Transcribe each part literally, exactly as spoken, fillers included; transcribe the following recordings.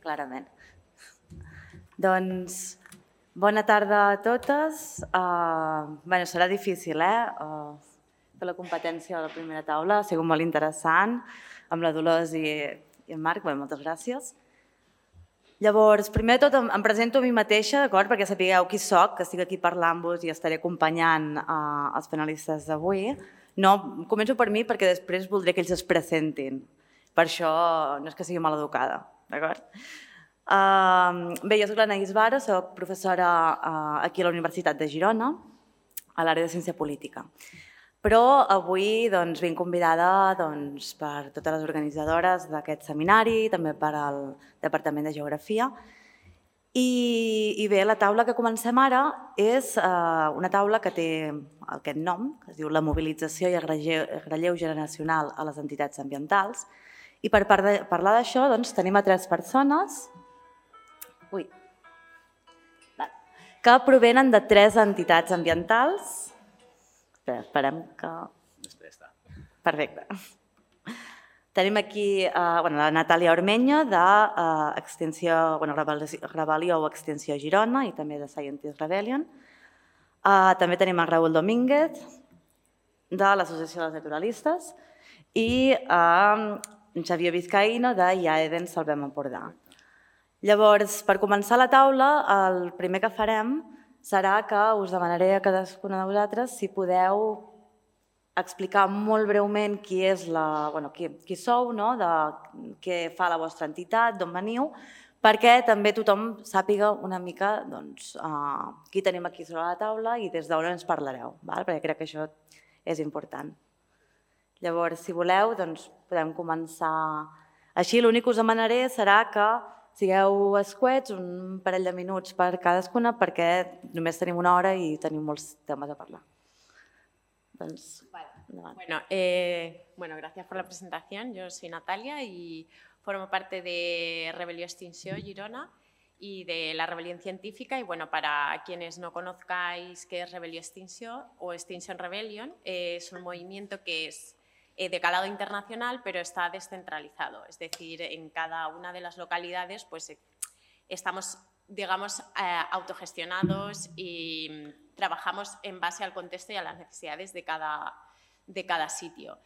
clarament. Doncs, bona tarda a totes. Bé, serà difícil, eh? Fer la competència a la primera taula, ha sigut molt interessant, amb la Dolors i en Marc, bé, moltes gràcies. Llavors, primer de tot em presento a mi mateixa, d'acord? Perquè sapigueu qui soc, que estic aquí parlant-vos i estaré acompanyant els panelistes d'avui. No, començo per mi perquè després voldré que ells es presentin. Per això no és que sigui maleducada, d'acord? Bé, jo soc l'Anaïs Vara, soc professora aquí a la Universitat de Girona, a l'àrea de Ciència Política. Però avui vinc convidada per totes les organitzadores d'aquest seminari, també per al Departament de Geografia. I bé, la taula que comencem ara és una taula que té aquest nom, que es diu La mobilització i el relleu generacional a les entitats ambientals. I per parlar d'això tenim a tres persones que provenen de tres entitats ambientals. Esperem que... Després està. Perfecte. Tenim aquí la Natàlia Ormeño de Rebel·lió o Extinció Girona i també de Scientist Rebellion. També tenim en Raúl Domínguez de l'Associació dels Naturalistes i en Xavier Vizcaíno de I A E D E N Salvem Empordà. Llavors, per començar la taula, el primer que farem serà que us demanaré a cadascuna de vosaltres si podeu explicar molt breument qui sou, què fa la vostra entitat, d'on veniu, perquè també tothom sàpiga una mica qui tenim aquí sobre la taula i des d'on ens parlareu, perquè crec que això és important. Llavors, si voleu, podem començar així. L'únic que us demanaré serà que sigueu escuets, un parell de minuts per cadascuna, perquè només tenim una hora i tenim molts temes a parlar. Bueno, gracias por la presentación. Yo soy Natalia y formo parte de Rebel·lió Extinció Girona y de la Rebelión Científica. Y bueno, para quienes no conozcáis qué es Rebel·lió Extinció o Extinction Rebellion, es un movimiento que es de calado internacional, pero está descentralizado. Es decir, en cada una de las localidades pues, estamos, digamos, autogestionados y trabajamos en base al contexto y a las necesidades de cada, de cada sitio.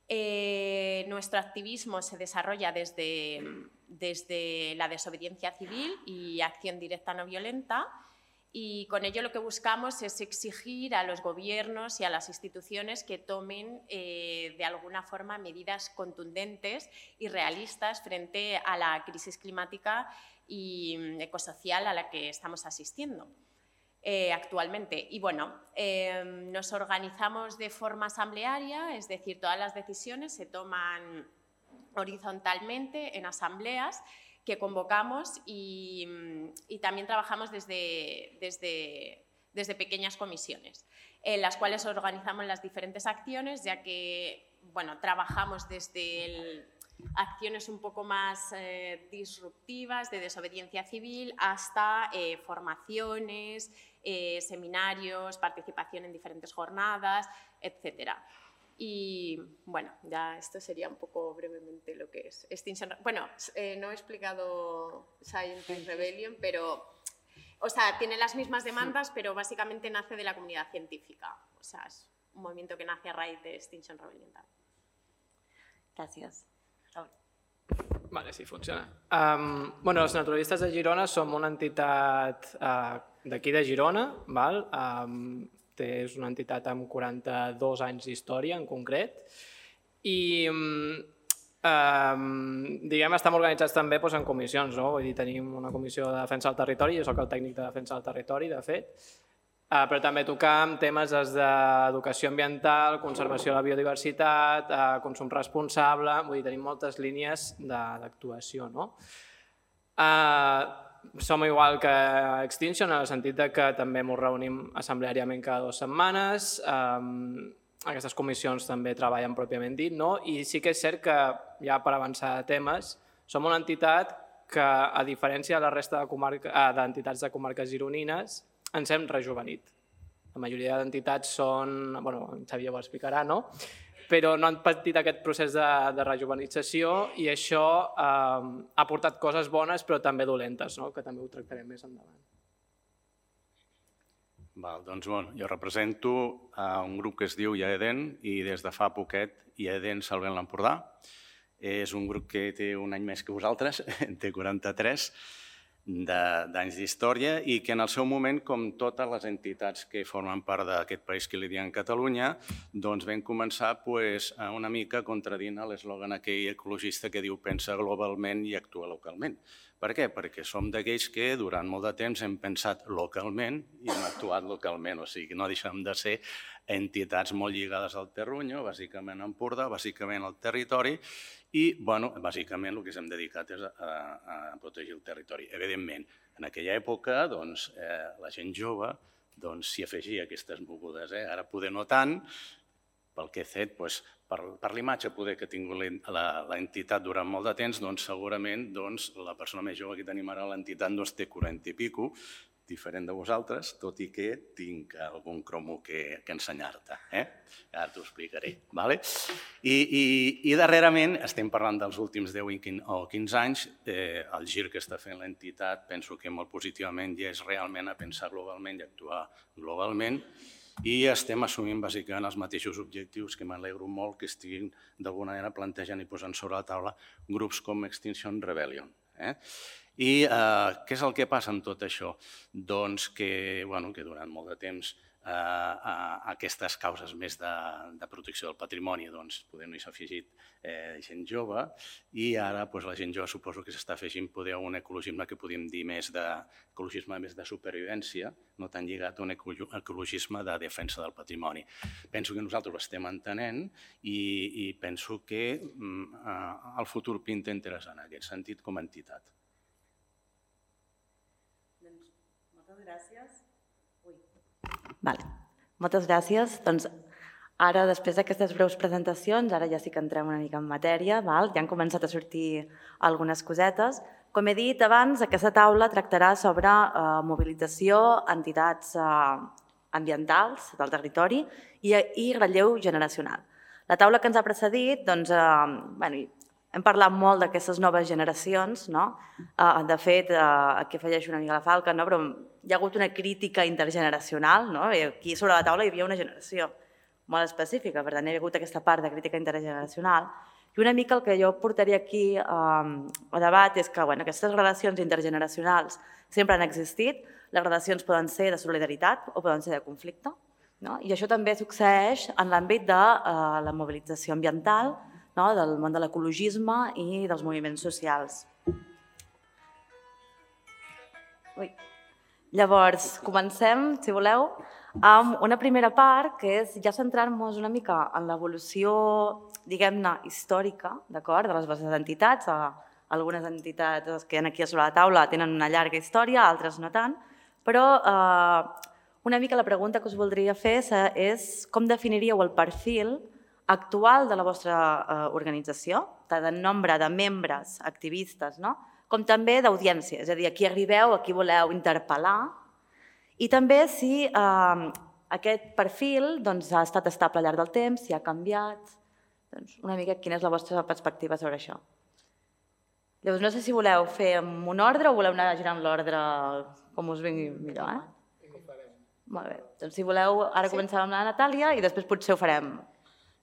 Eh, nuestro activismo se desarrolla desde, desde la desobediencia civil y acción directa no violenta. Y con ello lo que buscamos es exigir a los gobiernos y a las instituciones que tomen eh, de alguna forma medidas contundentes y realistas frente a la crisis climática y ecosocial a la que estamos asistiendo eh, actualmente. Y bueno, eh, nos organizamos de forma asamblearia, es decir, todas las decisiones se toman horizontalmente en asambleas que convocamos y, y también trabajamos desde, desde, desde pequeñas comisiones, en las cuales organizamos las diferentes acciones, ya que bueno, trabajamos desde el, acciones un poco más eh, disruptivas de desobediencia civil hasta eh, formaciones, eh, seminarios, participación en diferentes jornadas, etcétera. Y bueno, ya esto sería un poco brevemente lo que es Extinction. Bueno, eh, no he explicado Scientist Rebellion, pero, o sea, tiene las mismas demandas, pero básicamente nace de la comunidad científica. O sea, es un movimiento que nace a raíz de Extinction Rebellion. Gràcies. Vale, sí, funciona. Um, bueno, els naturalistes de Girona som una entitat uh, d'aquí de Girona, val? Um, és una entitat amb quaranta-dos anys d'història en concret i um, diguem, estem organitzats també doncs, en comissions, no? Vull dir, tenim una comissió de defensa del territori, jo soc el tècnic de defensa del territori, de fet, uh, però també tocam temes d'educació ambiental, conservació de la biodiversitat, uh, consum responsable, vull dir, tenim moltes línies d'actuació, no? Uh, Som igual que Extinction, en el sentit que també ens reunim assembleàriament cada dues setmanes. Aquestes comissions també treballen pròpiament dit, no? I sí que és cert que, ja per avançar de temes, som una entitat que, a diferència de la resta d'entitats de comarques gironines, ens hem rejuvenit. La majoria d'entitats són, bueno, en Xavier ho explicarà, no? però no han patit aquest procés de, de rejuvenització i això eh, ha portat coses bones però també dolentes, no? Que també ho tractarem més endavant. Val, doncs, bueno, jo represento uh, un grup que es diu Iaeden i des de fa poquet Iaeden Salvem l'Empordà. És un grup que té un any més que vosaltres, té quaranta-tres d'anys d'història i que en el seu moment, com totes les entitats que formen part d'aquest país que li diuen Catalunya, doncs vam començar pues, una mica contradint l'eslògan aquell ecologista que diu pensa globalment i actua localment. Per què? Perquè som d'aquells que durant molt de temps hem pensat localment i hem actuat localment, o sigui, no deixem de ser entitats molt lligades al terruño, bàsicament a Empordà, bàsicament al territori, i, bueno, bàsicament el que s'hem dedicat és a, a, a protegir el territori. Evidentment, en aquella època, doncs, eh, la gent jove doncs, s'hi afegia aquestes mogudes. Eh? Ara poder no tant, pel que he fet, doncs, per, per l'imatge poder que ha tingut l'entitat durant molt de temps, doncs, segurament doncs, la persona més jove que tenim ara a l'entitat doncs, té quaranta i pico, diferent de vosaltres, tot i que tinc algun cromo que, que ensenyar-te. Eh? Ara t'ho explicaré. Vale? I, i, I darrerament, estem parlant dels últims deu o quinze anys, eh, el gir que està fent l'entitat penso que molt positivament ja és realment a pensar globalment i actuar globalment i estem assumint bàsicament els mateixos objectius que m'alegro molt que estiguin d'alguna manera plantejant i posant sobre la taula grups com Extinction Rebellion. Eh? I eh, què és el que passa amb tot això? Doncs que, bueno, que durant molt de temps eh, a aquestes causes més de, de protecció del patrimoni doncs, poder no s'ha afegit eh, gent jove i ara doncs, la gent jove suposo que s'està afegint poder a un ecologisme que podríem dir més de, ecologisme més de supervivència, no tan lligat a un ecologisme de defensa del patrimoni. Penso que nosaltres ho estem entenent i, i penso que mm, eh, el futur pinta interessant en aquest sentit com a entitat. Moltes gràcies. Ui. Vale. Moltes gràcies. Doncs ara, després d'aquestes breus presentacions, ara ja sí que entrem una mica en matèria, val? Ja han començat a sortir algunes cosetes. Com he dit abans, aquesta taula tractarà sobre eh, mobilització, entitats eh, ambientals del territori i, i relleu generacional. La taula que ens ha precedit, doncs, eh, bueno, hem parlat molt d'aquestes noves generacions, no? Uh, de fet, uh, aquí afegeixo una mica la falca, no? Però hi ha hagut una crítica intergeneracional, no? I aquí sobre la taula hi havia una generació molt específica, per tant hi ha hagut aquesta part de crítica intergeneracional. I una mica el que jo portaria aquí um, a debat és que bueno, aquestes relacions intergeneracionals sempre han existit, les relacions poden ser de solidaritat o poden ser de conflicte, no? I això també succeeix en l'àmbit de uh, la mobilització ambiental, no? Del món de l'ecologisme i dels moviments socials. Ui. Llavors, comencem, si voleu, amb una primera part que és ja centrar-nos una mica en l'evolució, diguem-ne, històrica, d'acord, de les vostres entitats. Algunes entitats que hi ha aquí sobre la taula tenen una llarga història, altres no tant, però eh, una mica la pregunta que us voldria fer és com definiríeu el perfil actual de la vostra eh, organització, tant en nombre de membres, activistes, no? Com també d'audiència, és a dir, a qui arribeu, a qui voleu interpel·lar, i també si eh, aquest perfil doncs, ha estat estable al llarg del temps, si ha canviat, doncs, una mica quina és la vostra perspectiva sobre això. Llavors, no sé si voleu fer amb un ordre o voleu anar girant l'ordre com us vingui millor, eh? Molt bé, doncs si voleu, ara comencem amb la Natàlia i després potser ho farem.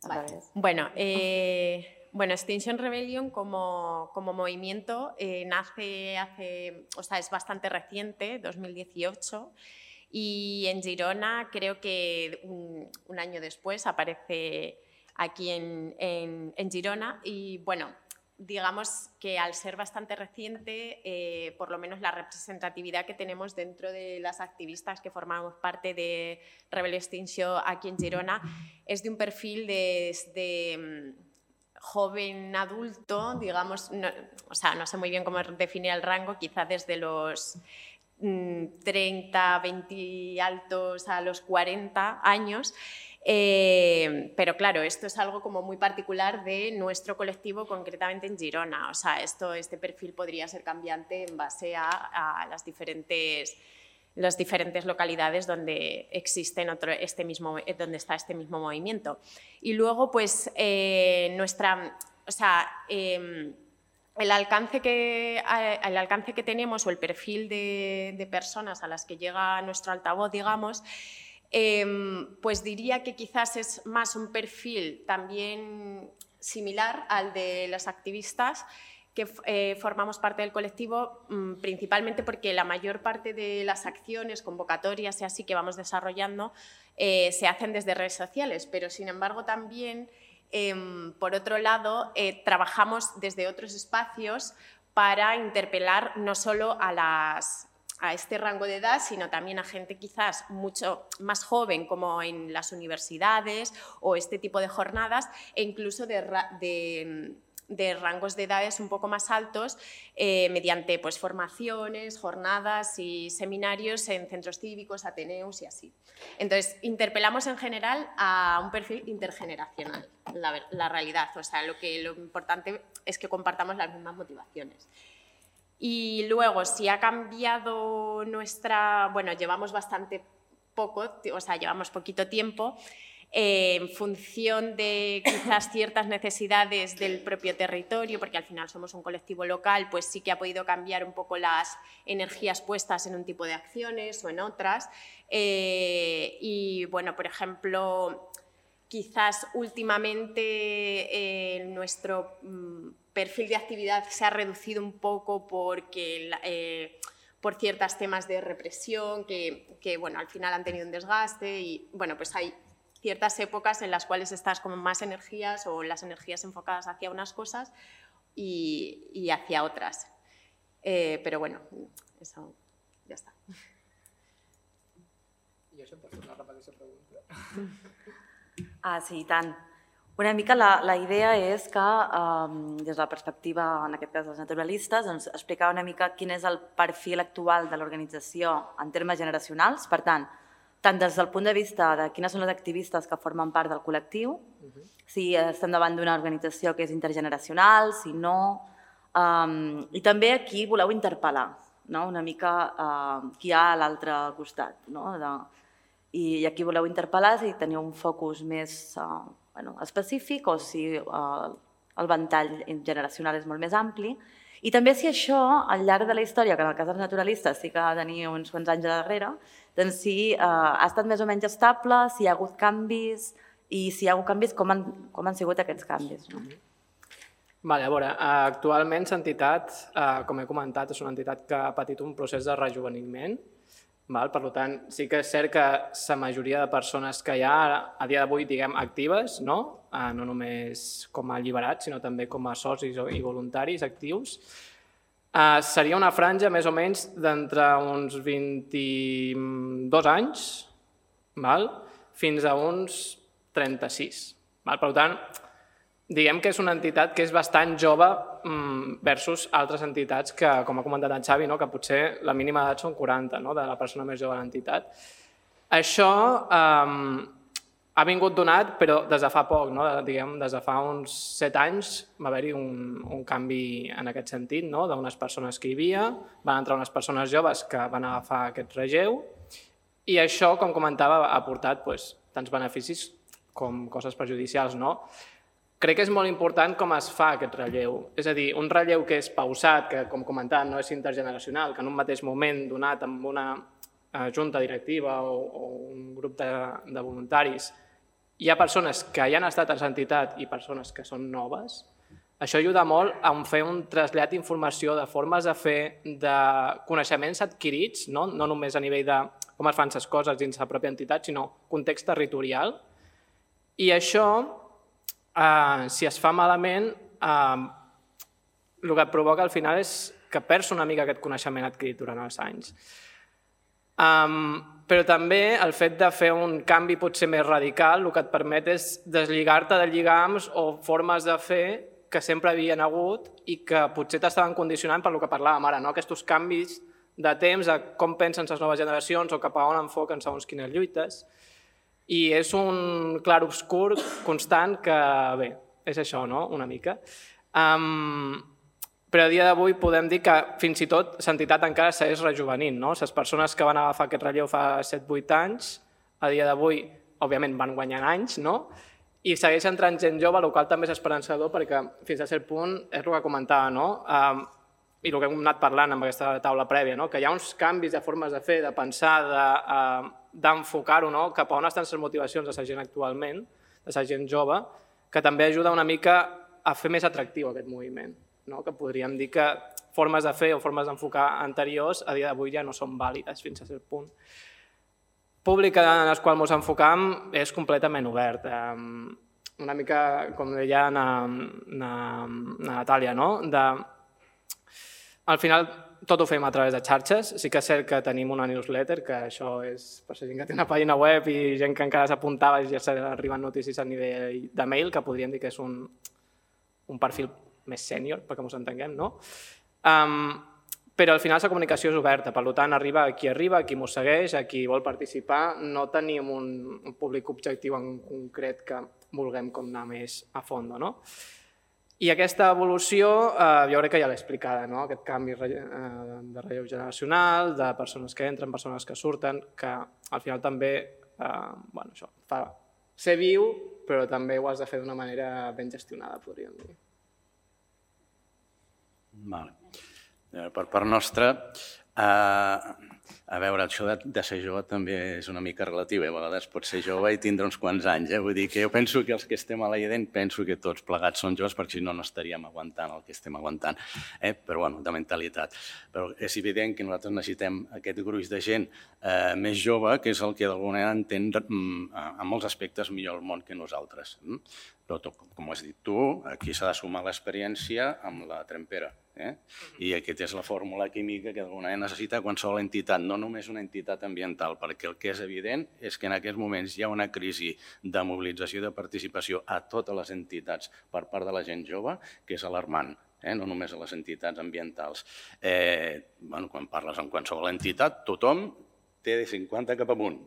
Vale. Bueno, eh, bueno, Extinction Rebellion como, como movimiento eh, nace hace, o sea, es bastante reciente, dos mil dieciocho, y en Girona creo que un, un año después aparece aquí en, en, en Girona y bueno, digamos que al ser bastante reciente, eh, por lo menos la representatividad que tenemos dentro de las activistas que formamos parte de Rebel Extinció aquí en Girona es de un perfil de, de joven adulto, digamos, no, o sea, no sé muy bien cómo definir el rango, quizá desde los treinta, veinte altos a los cuarenta años. Eh, pero claro, esto es algo como muy particular de nuestro colectivo, concretamente en Girona. O sea, esto, este perfil podría ser cambiante en base a, a las diferentes las diferentes localidades donde, existen otro, este mismo, donde está este mismo movimiento. Y luego, pues, eh, nuestra, o sea, eh, el, alcance que, el alcance que tenemos o el perfil de, de personas a las que llega nuestro altavoz, digamos, eh, pues diría que quizás es más un perfil también similar al de los activistas, que eh, formamos parte del colectivo, mmm, principalmente porque la mayor parte de las acciones, convocatorias y así que vamos desarrollando eh, se hacen desde redes sociales, pero sin embargo también, eh, por otro lado, eh, trabajamos desde otros espacios para interpelar no solo a, las, a este rango de edad, sino también a gente quizás mucho más joven, como en las universidades o este tipo de jornadas, e incluso de... de de rangos de edades un poco más altos eh, mediante pues, formaciones, jornadas y seminarios en centros cívicos, ateneos y así. Entonces, interpelamos en general a un perfil intergeneracional, la, la realidad. O sea, lo, que, lo importante es que compartamos las mismas motivaciones. Y luego, si ha cambiado nuestra... Bueno, llevamos bastante poco, o sea, llevamos poquito tiempo, Eh, en función de quizás ciertas necesidades del propio territorio, porque al final somos un colectivo local, pues sí que ha podido cambiar un poco las energías puestas en un tipo de acciones o en otras. Eh, y bueno, por ejemplo, quizás últimamente eh, nuestro mm, perfil de actividad se ha reducido un poco porque... Eh, por ciertos temas de represión que, que bueno, al final han tenido un desgaste y bueno, pues hay ciertas épocas en las cuales estás con más energías o las energías enfocadas hacia unas cosas y, y hacia otras. Eh, però bueno, eso ja està. I això pot ser una repetició pregunta. Ah, sí, i tant. Una mica la, la idea és que, um, des de la perspectiva, en aquest cas dels naturalistes, doncs, explicar una mica quin és el perfil actual de l'organització en termes generacionals. Per tant, tant des del punt de vista de quines són les activistes que formen part del col·lectiu, uh-huh. si estem davant d'una organització que és intergeneracional, si no, um, i també aquí voleu interpel·lar, no? Una mica uh, qui hi ha a l'altre costat. No? De, i, I aquí voleu interpel·lar si teniu un focus més uh, bueno, específic o si uh, el ventall generacional és molt més ampli. I també si això, al llarg de la història, que en el cas dels naturalistes sí que tenia uns quants anys darrere, doncs si eh, ha estat més o menys estable, si hi ha hagut canvis i si hi ha hagut canvis, com han, com han sigut aquests canvis. No? Vale, a veure, actualment l'entitat, eh, com he comentat, és una entitat que ha patit un procés de rejuveniment. Val? Per tant, sí que és cert que la majoria de persones que hi ha a dia d'avui, diguem, actives, no? Eh, no només com a alliberats, sinó també com a socis i voluntaris actius, Uh, seria una franja més o menys d'entre uns vint-i-dos anys val? Fins a uns trenta-sis. Val? Per tant, diguem que és una entitat que és bastant jove versus altres entitats que, com ha comentat en Xavi, no? Que potser la mínima edat són quaranta, no? De la persona més jove de l'entitat. Això um, ha vingut donat, però des de fa poc, no? Diguem, des de fa uns set anys va haver-hi un, un canvi en aquest sentit, no? D'unes persones que hi havia, van entrar unes persones joves que van agafar aquest relleu i això, com comentava, ha portat pues, tants beneficis com coses perjudicials. No? Crec que és molt important com es fa aquest relleu. És a dir, un relleu que és pausat, que com comentat no és intergeneracional, que en un mateix moment donat amb una junta directiva o, o un grup de, de voluntaris hi ha persones que ja han estat a l'entitat i persones que són noves, això ajuda molt a fer un trasllat d'informació, de formes de fer, de coneixements adquirits, no, no només a nivell de com es fan les coses dins la pròpia entitat, sinó context territorial. I això, eh, si es fa malament, eh, el que et provoca al final és que perds una mica aquest coneixement adquirit durant els anys. Um, però també el fet de fer un canvi potser més radical el que et permet és deslligar-te de lligams o formes de fer que sempre havien hagut i que potser t'estaven condicionant per el que parlàvem ara, no? Aquests canvis de temps, de com pensen les noves generacions o cap a on enfoquen segons quines lluites. I és un clar obscur constant que, bé, és això, no? Una mica. Um, però a dia d'avui podem dir que fins i tot l'entitat encara segueix rejuvenint. Les persones que van agafar aquest relleu fa set vuit anys, a dia d'avui, òbviament, van guanyant anys, i segueix entrant gent jove, el qual també és esperançador perquè fins a cert punt és el que comentava, i el que hem anat parlant amb aquesta taula prèvia, que hi ha uns canvis de formes de fer, de pensar, d'enfocar-ho cap a on estan les motivacions de la gent actualment, de la gent jove, que també ajuda una mica a fer més atractiu aquest moviment. Que podríem dir que formes de fer o formes d'enfocar anteriors a dia d'avui ja no són vàlides fins a cert punt. El públic en el qual ens enfocam és completament obert. Una mica, com deia na Natàlia, al final tot ho fem a través de xarxes. Sí que és cert que tenim una newsletter, que això és per la gent que té una pàgina web i gent que encara s'apuntava i ja s'arriben notícies a nivell de mail, que podríem dir que és un perfil més sènior, perquè ens entenguem, no? Però al final la comunicació és oberta, per tant arriba a qui arriba, a qui ens segueix, a qui vol participar. No tenim un públic objectiu en concret que vulguem anar més a fons, no? I aquesta evolució jo crec que ja l'he explicada, aquest canvi de relleu generacional, de persones que entren, persones que surten, que al final també fa ser viu, però també ho has de fer d'una manera ben gestionada, podríem dir. Per part nostra, a veure, això de ser jove també és una mica relatiu. A vegades pots ser jove i tindre uns quants anys. Vull dir que jo penso que els que estem a l'Aiden penso que tots plegats són joves perquè si no no estaríem aguantant el que estem aguantant. Però, bueno, de mentalitat. Però és evident que nosaltres necessitem aquest gruix de gent més jove, que és el que d'alguna manera entén en molts aspectes millor el món que nosaltres. Però, com has dit tu, aquí s'ha de sumar l'experiència amb la trempera. I aquesta és la fórmula química que d'alguna manera necessita qualsevol entitat, no només una entitat ambiental, perquè el que és evident és que en aquests moments hi ha una crisi de mobilització i de participació a totes les entitats per part de la gent jove, que és alarmant, no només a les entitats ambientals. Quan parles amb qualsevol entitat, tothom té de cinquanta cap amunt.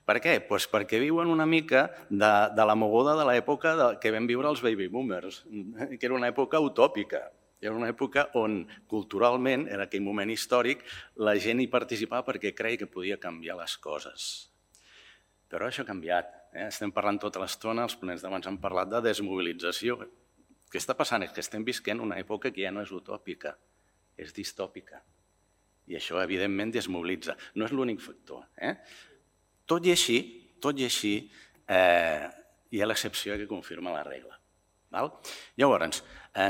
Per què? Doncs perquè viuen una mica de la moguda de l'època que vam viure els baby boomers, que era una època utòpica. Era una època on, culturalment, en aquell moment històric, la gent hi participava perquè creia que podia canviar les coses. Però això ha canviat. Estem parlant tota l'estona, els ponents d'abans han parlat de desmobilització. El que està passant és que estem visquent una època que ja no és utòpica, és distòpica. I això, evidentment, desmobilitza. No és l'únic factor. Tot i així, tot i així, hi ha l'excepció que confirma la regla. Llavors,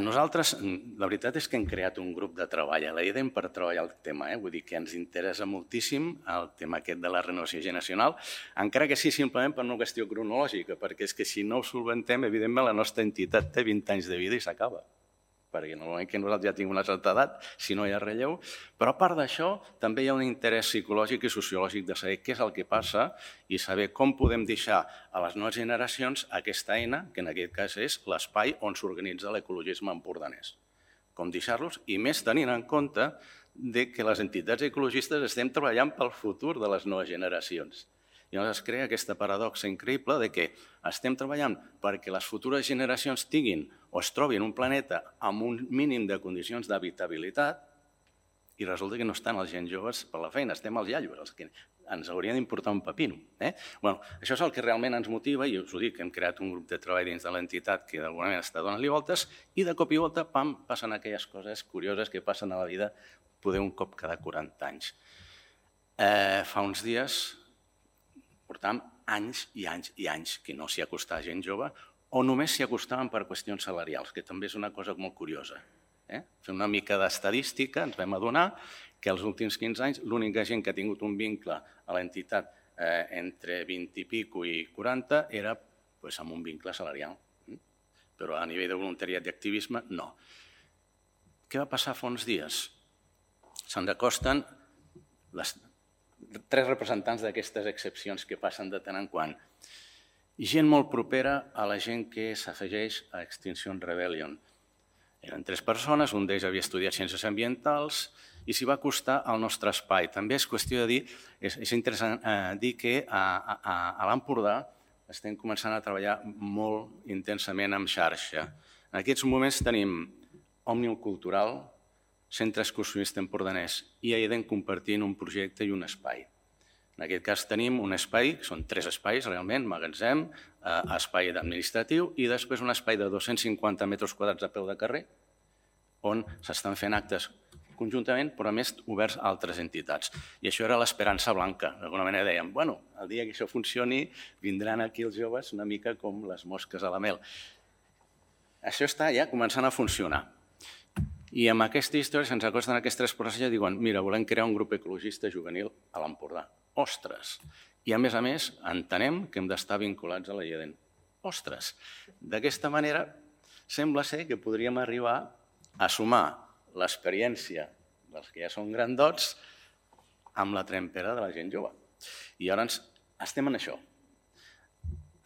nosaltres, la veritat és que hem creat un grup de treball a l'Aiden per treballar el tema, vull dir que ens interessa moltíssim el tema aquest de la renovació generacional, encara que sí simplement per una qüestió cronològica, perquè és que si no ho solventem, evidentment la nostra entitat té vint anys de vida i s'acaba, perquè en el moment que nosaltres ja tinguem una certa edat, si no hi ha relleu, però a part d'això també hi ha un interès psicològic i sociològic de saber què és el que passa i saber com podem deixar a les noves generacions aquesta eina, que en aquest cas és l'espai on s'organitza l'ecologisme empordanès. Com deixar-los, i més tenint en compte que les entitats ecologistes estem treballant pel futur de les noves generacions. I llavors es crea aquesta paradoxa increïble que estem treballant perquè les futures generacions tinguin o es trobin un planeta amb un mínim de condicions d'habitabilitat i resulta que no estan els gent joves per la feina, estem els iaios, els que ens haurien d'importar un pepino. Això és el que realment ens motiva i us ho dic, hem creat un grup de treball dins de l'entitat que d'alguna manera està donant-li voltes i de cop i volta, pam, passen aquelles coses curioses que passen a la vida poder un cop cada quaranta anys. Fa uns dies portàvem anys i anys i anys que no s'hi acostava gent jove o només s'hi acostaven per qüestions salarials, que també és una cosa molt curiosa. Fent una mica d'estadística ens vam adonar que els últims quinze anys l'única gent que ha tingut un vincle a l'entitat entre vint i pico i quaranta era amb un vincle salarial, però a nivell de voluntariat i activisme no. Què va passar fa uns dies? Se'ns acosten les tres representants d'aquestes excepcions que passen de tant en quant. I gent molt propera a la gent que s'afegeix a Extinction Rebellion. Eren tres persones, un d'ells havia estudiat ciències ambientals i s'hi va acostar al nostre espai. També és qüestió de dir, és interessant dir que a l'Empordà estem començant a treballar molt intensament en xarxa. En aquests moments tenim Òmnium Cultural, Centre Excursionista Empordanès i Aiden compartint un projecte i un espai. En aquest cas tenim un espai, que són tres espais realment, magatzem, espai administratiu i després un espai de dos-cents cinquanta metres quadrats a peu de carrer on s'estan fent actes conjuntament, però a més oberts a altres entitats. I això era l'esperança blanca. D'alguna manera dèiem, bueno, el dia que això funcioni vindran aquí els joves una mica com les mosques a la mel. Això està ja començant a funcionar. I amb aquesta història se'ns acosten aquests tres processos i diuen, mira, volem crear un grup ecologista juvenil a l'Empordà. Ostres! I a més a més entenem que hem d'estar vinculats a la I E D E N. Ostres! D'aquesta manera sembla ser que podríem arribar a sumar l'experiència dels que ja són grandots amb la trempera de la gent jove. I ara estem en això.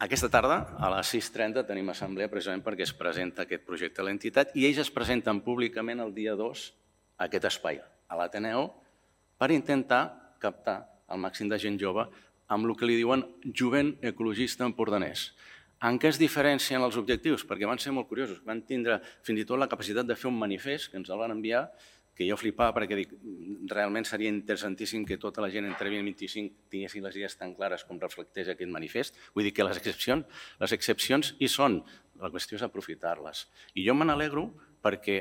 Aquesta tarda, a les sis trenta, tenim assemblea precisament perquè es presenta aquest projecte a l'entitat i ells es presenten públicament el dia dos a aquest espai, a l'Ateneu, per intentar captar el màxim de gent jove amb el que li diuen jovent ecologista empordanès. En què es diferencien els objectius? Perquè van ser molt curiosos. Van tindre fins i tot la capacitat de fer un manifest que ens el van enviar, que jo flipava perquè dic, realment seria interessantíssim que tota la gent entre vint i vint-i-cinc tinguessin les idees tan clares com reflecteix aquest manifest. Vull dir que les excepcions, les excepcions hi són, la qüestió és aprofitar-les. I jo me n'alegro perquè,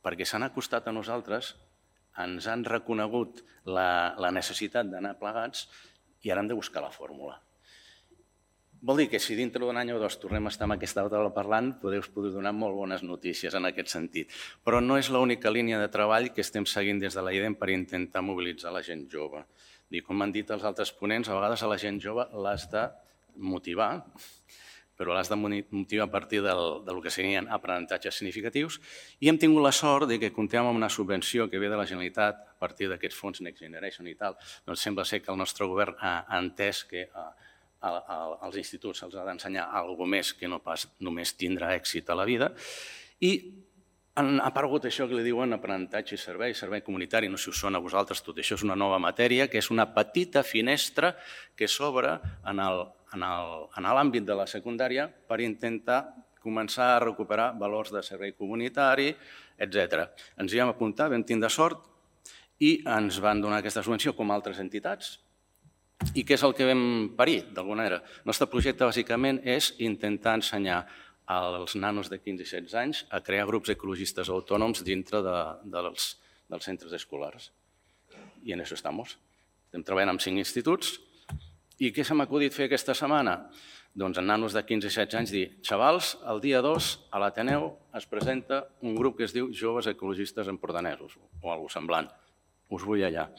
perquè s'han acostat a nosaltres, ens han reconegut la, la necessitat d'anar plegats i ara hem de buscar la fórmula. Vol dir que si dintre d'un any o dos tornem a estar amb aquesta taula parlant, podeu poder donar molt bones notícies en aquest sentit. Però no és l'única línia de treball que estem seguint des de la I E D E N per intentar mobilitzar la gent jove. Com han dit els altres ponents, a vegades a la gent jove l'has de motivar, però l'has de motivar a partir del, del que serien aprenentatges significatius i hem tingut la sort de que comptem amb una subvenció que ve de la Generalitat a partir d'aquests fons Next Generation i tal. Doncs sembla ser que el nostre govern ha entès que als instituts se'ls ha d'ensenyar alguna cosa més que no pas només tindre èxit a la vida. I ha aparegut això que li diuen aprenentatge i servei, servei comunitari, no sé si us sona a vosaltres, tot això és una nova matèria, que és una petita finestra que s'obre en l'àmbit de la secundària per intentar començar a recuperar valors de servei comunitari, etcètera. Ens hi vam apuntar, vam tindre sort i ens van donar aquesta subvenció com altres entitats. I què és el que vam parir, d'alguna manera? El nostre projecte, bàsicament, és intentar ensenyar als nanos de quinze i setze anys a crear grups ecologistes autònoms dintre dels centres escolars. I en això estem. Estem treballant amb cinc instituts. I què se m'ha acudit fer aquesta setmana? Doncs en nanos de quinze i setze anys dir, xavals, el dia dos a l'Ateneu es presenta un grup que es diu Joves Ecologistes Empordanesos, o alguna cosa semblant. Us vull allà.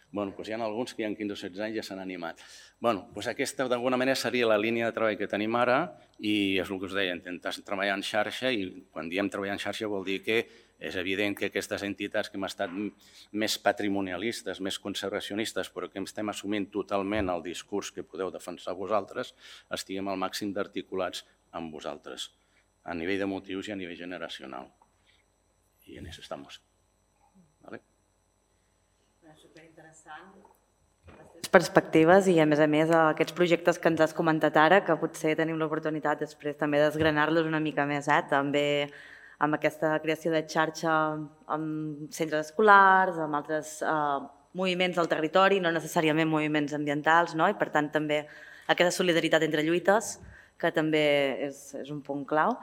Bé, doncs hi ha alguns que hi ha quinze o setze anys i ja s'han animat. Bé, doncs aquesta d'alguna manera seria la línia de treball que tenim ara i és el que us deia, intentar treballar en xarxa i quan diem treballar en xarxa vol dir que és evident que aquestes entitats que hem estat més patrimonialistes, més conservacionistes, però que estem assumint totalment el discurs que podeu defensar vosaltres, estiguem al màxim d'articulats amb vosaltres, a nivell de motius i a nivell generacional. I en això estem. Vale? Superinteressant, les perspectives i, a més a més, aquests projectes que ens has comentat ara, que potser tenim l'oportunitat després també d'esgranar-los una mica més, també amb aquesta creació de xarxa amb centres escolars, amb altres moviments del territori, no necessàriament moviments ambientals, i per tant també aquesta solidaritat entre lluites, que també és un punt clau.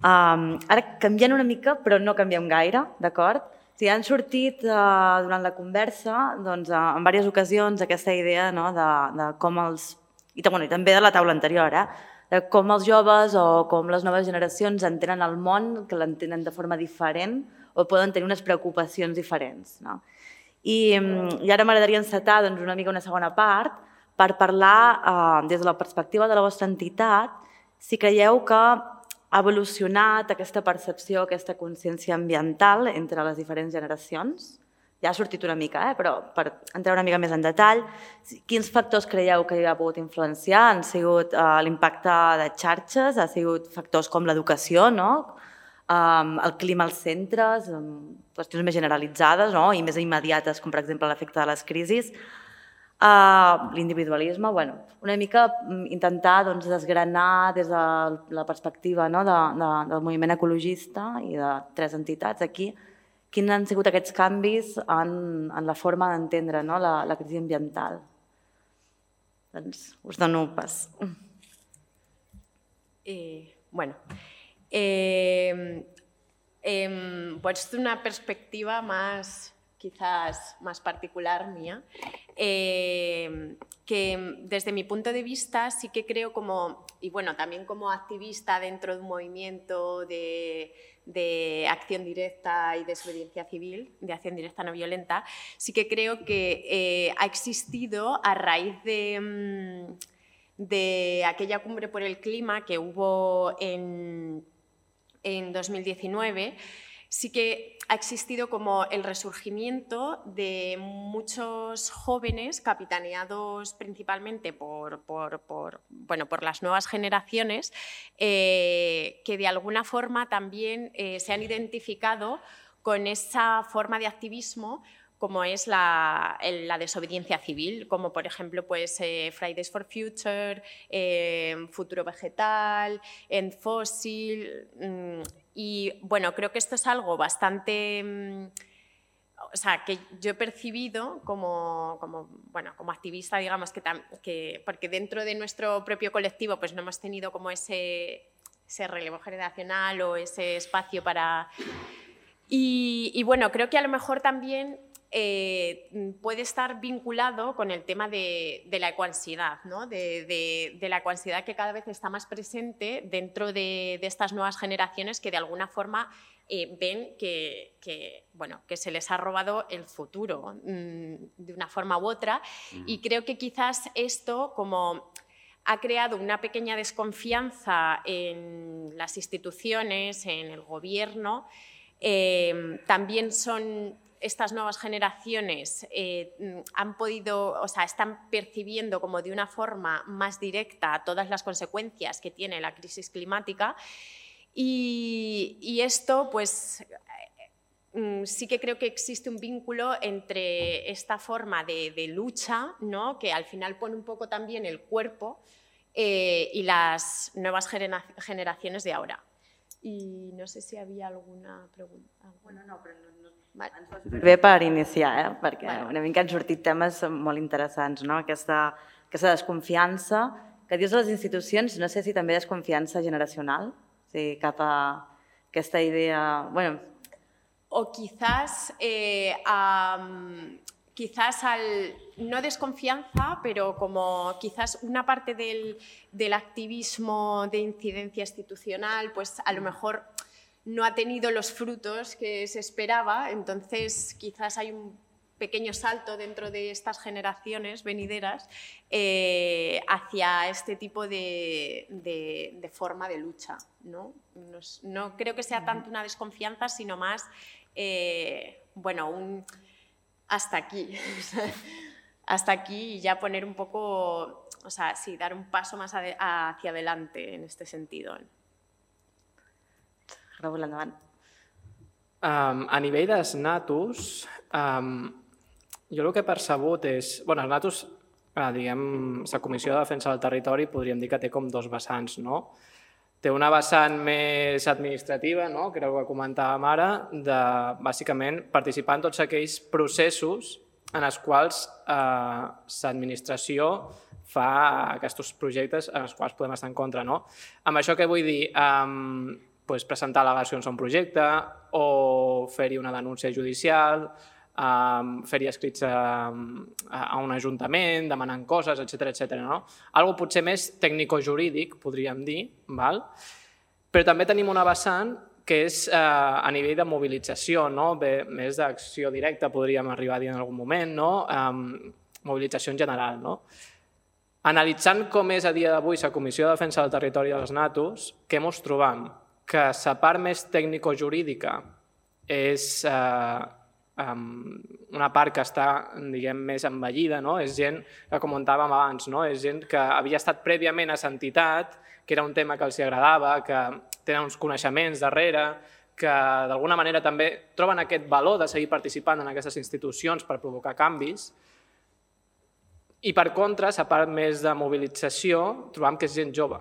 Ara canviant una mica, però no canviem gaire, d'acord? Han sortit durant la conversa en diverses ocasions aquesta idea de com els, i també de la taula anterior, de com els joves o com les noves generacions entenen el món, que l'entenen de forma diferent o poden tenir unes preocupacions diferents. I ara m'agradaria encetar una mica una segona part per parlar des de la perspectiva de la vostra entitat si creieu que ha evolucionat aquesta percepció, aquesta consciència ambiental entre les diferents generacions. Ja ha sortit una mica, però per entrar una mica més en detall, quins factors creieu que hi ha pogut influenciar? Han sigut l'impacte de xarxes, ha sigut factors com l'educació, el clima als centres, qüestions més generalitzades i més immediates, com per exemple l'efecte de les crisis. L'individualisme, bueno, una mica intentar desgranar des de la perspectiva del moviment ecologista i de tres entitats aquí quins han sigut aquests canvis en la forma d'entendre la crisi ambiental. Doncs us dono pas. Bueno, pues de una perspectiva más, quizás más particular mía, eh, que desde mi punto de vista sí que creo como, y bueno, también como activista dentro de un movimiento de, de acción directa y desobediencia civil, de acción directa no violenta, sí que creo que eh, ha existido a raíz de, de aquella cumbre por el clima que hubo en, en dos mil diecinueve, sí que ha existido como el resurgimiento de muchos jóvenes capitaneados principalmente por, por, por, bueno, por las nuevas generaciones eh, que de alguna forma también eh, se han identificado con esa forma de activismo como es la, la desobediencia civil, como por ejemplo pues, eh, Fridays for Future, eh, Futuro Vegetal, End Fossil. Mmm, y bueno, creo que esto es algo bastante, mmm, o sea, que yo he percibido como, como, bueno, como activista, digamos, que, que, porque dentro de nuestro propio colectivo pues no hemos tenido como ese, ese relevo generacional o ese espacio para... Y, y bueno, creo que a lo mejor también Eh, puede estar vinculado con el tema de, de la ecoansiedad, ¿no? de, de, de la ecoansiedad que cada vez está más presente dentro de, de estas nuevas generaciones que de alguna forma eh, ven que, que, bueno, que se les ha robado el futuro mmm, de una forma u otra y creo que quizás esto como ha creado una pequeña desconfianza en las instituciones, en el gobierno, eh, también son... Estas nuevas generaciones eh, han podido, o sea, están percibiendo como de una forma más directa todas las consecuencias que tiene la crisis climática y, y esto, pues, eh, sí que creo que existe un vínculo entre esta forma de, de lucha, ¿no? Que al final pone un poco también el cuerpo eh, y las nuevas genera generaciones de ahora. I no sé si hi havia alguna pregunta. Bueno, no, però no, no, vale. Ens va bé per iniciar, eh? Perquè vale. Una mica han sortit temes molt interessants, no? Aquesta, aquesta desconfiança que dius de les institucions, no sé si també desconfiança generacional, o sigui, cap a aquesta idea... Bueno. O quizás... Eh, um... quizás al, no desconfianza, pero como quizás una parte del, del activismo de incidencia institucional, pues a lo mejor no ha tenido los frutos que se esperaba, entonces quizás hay un pequeño salto dentro de estas generaciones venideras eh, hacia este tipo de, de, de forma de lucha, ¿no? No, no creo que sea tanto una desconfianza, sino más, eh, bueno, un... hasta aquí, hasta aquí y ya poner un poco, o sea, sí, dar un paso más hacia adelante en este sentido. Raúl, endavant. Um, a nivell dels natus, um, jo el que he percebut és... Bueno, els natus, eh, diguem, la Comissió de Defensa del Territori podríem dir que té com dos vessants, no? Té una vessant més administrativa, no? Que era el que comentàvem ara, de bàsicament participar en tots aquells processos en els quals eh, l'administració fa aquests projectes en els quals podem estar en contra. No? Amb això què vull dir? Eh, pues presentar al·legacions a un projecte o fer-hi una denúncia judicial, eh, fer-hi escrits a, a un ajuntament, demanant coses, etcètera, etcètera. No? Algo potser més tècnico-jurídic, podríem dir, val? Però també tenim una vessant que és eh, a nivell de mobilització, no? Bé, més d'acció directa, podríem arribar a dir en algun moment, no? eh, mobilització en general. No? Analitzant com és a dia d'avui la Comissió de Defensa del Territori dels Natus, què ens trobam? Que la part més tècnico-jurídica és eh, um, una part que està, diguem, més envellida, no? És gent que comentàvem abans, no? És gent que havia estat prèviament a l'entitat, que era un tema que els agradava, que tenen uns coneixements darrere, que d'alguna manera també troben aquest valor de seguir participant en aquestes institucions per provocar canvis, I per contra, la part més de mobilització, trobam que és gent jove.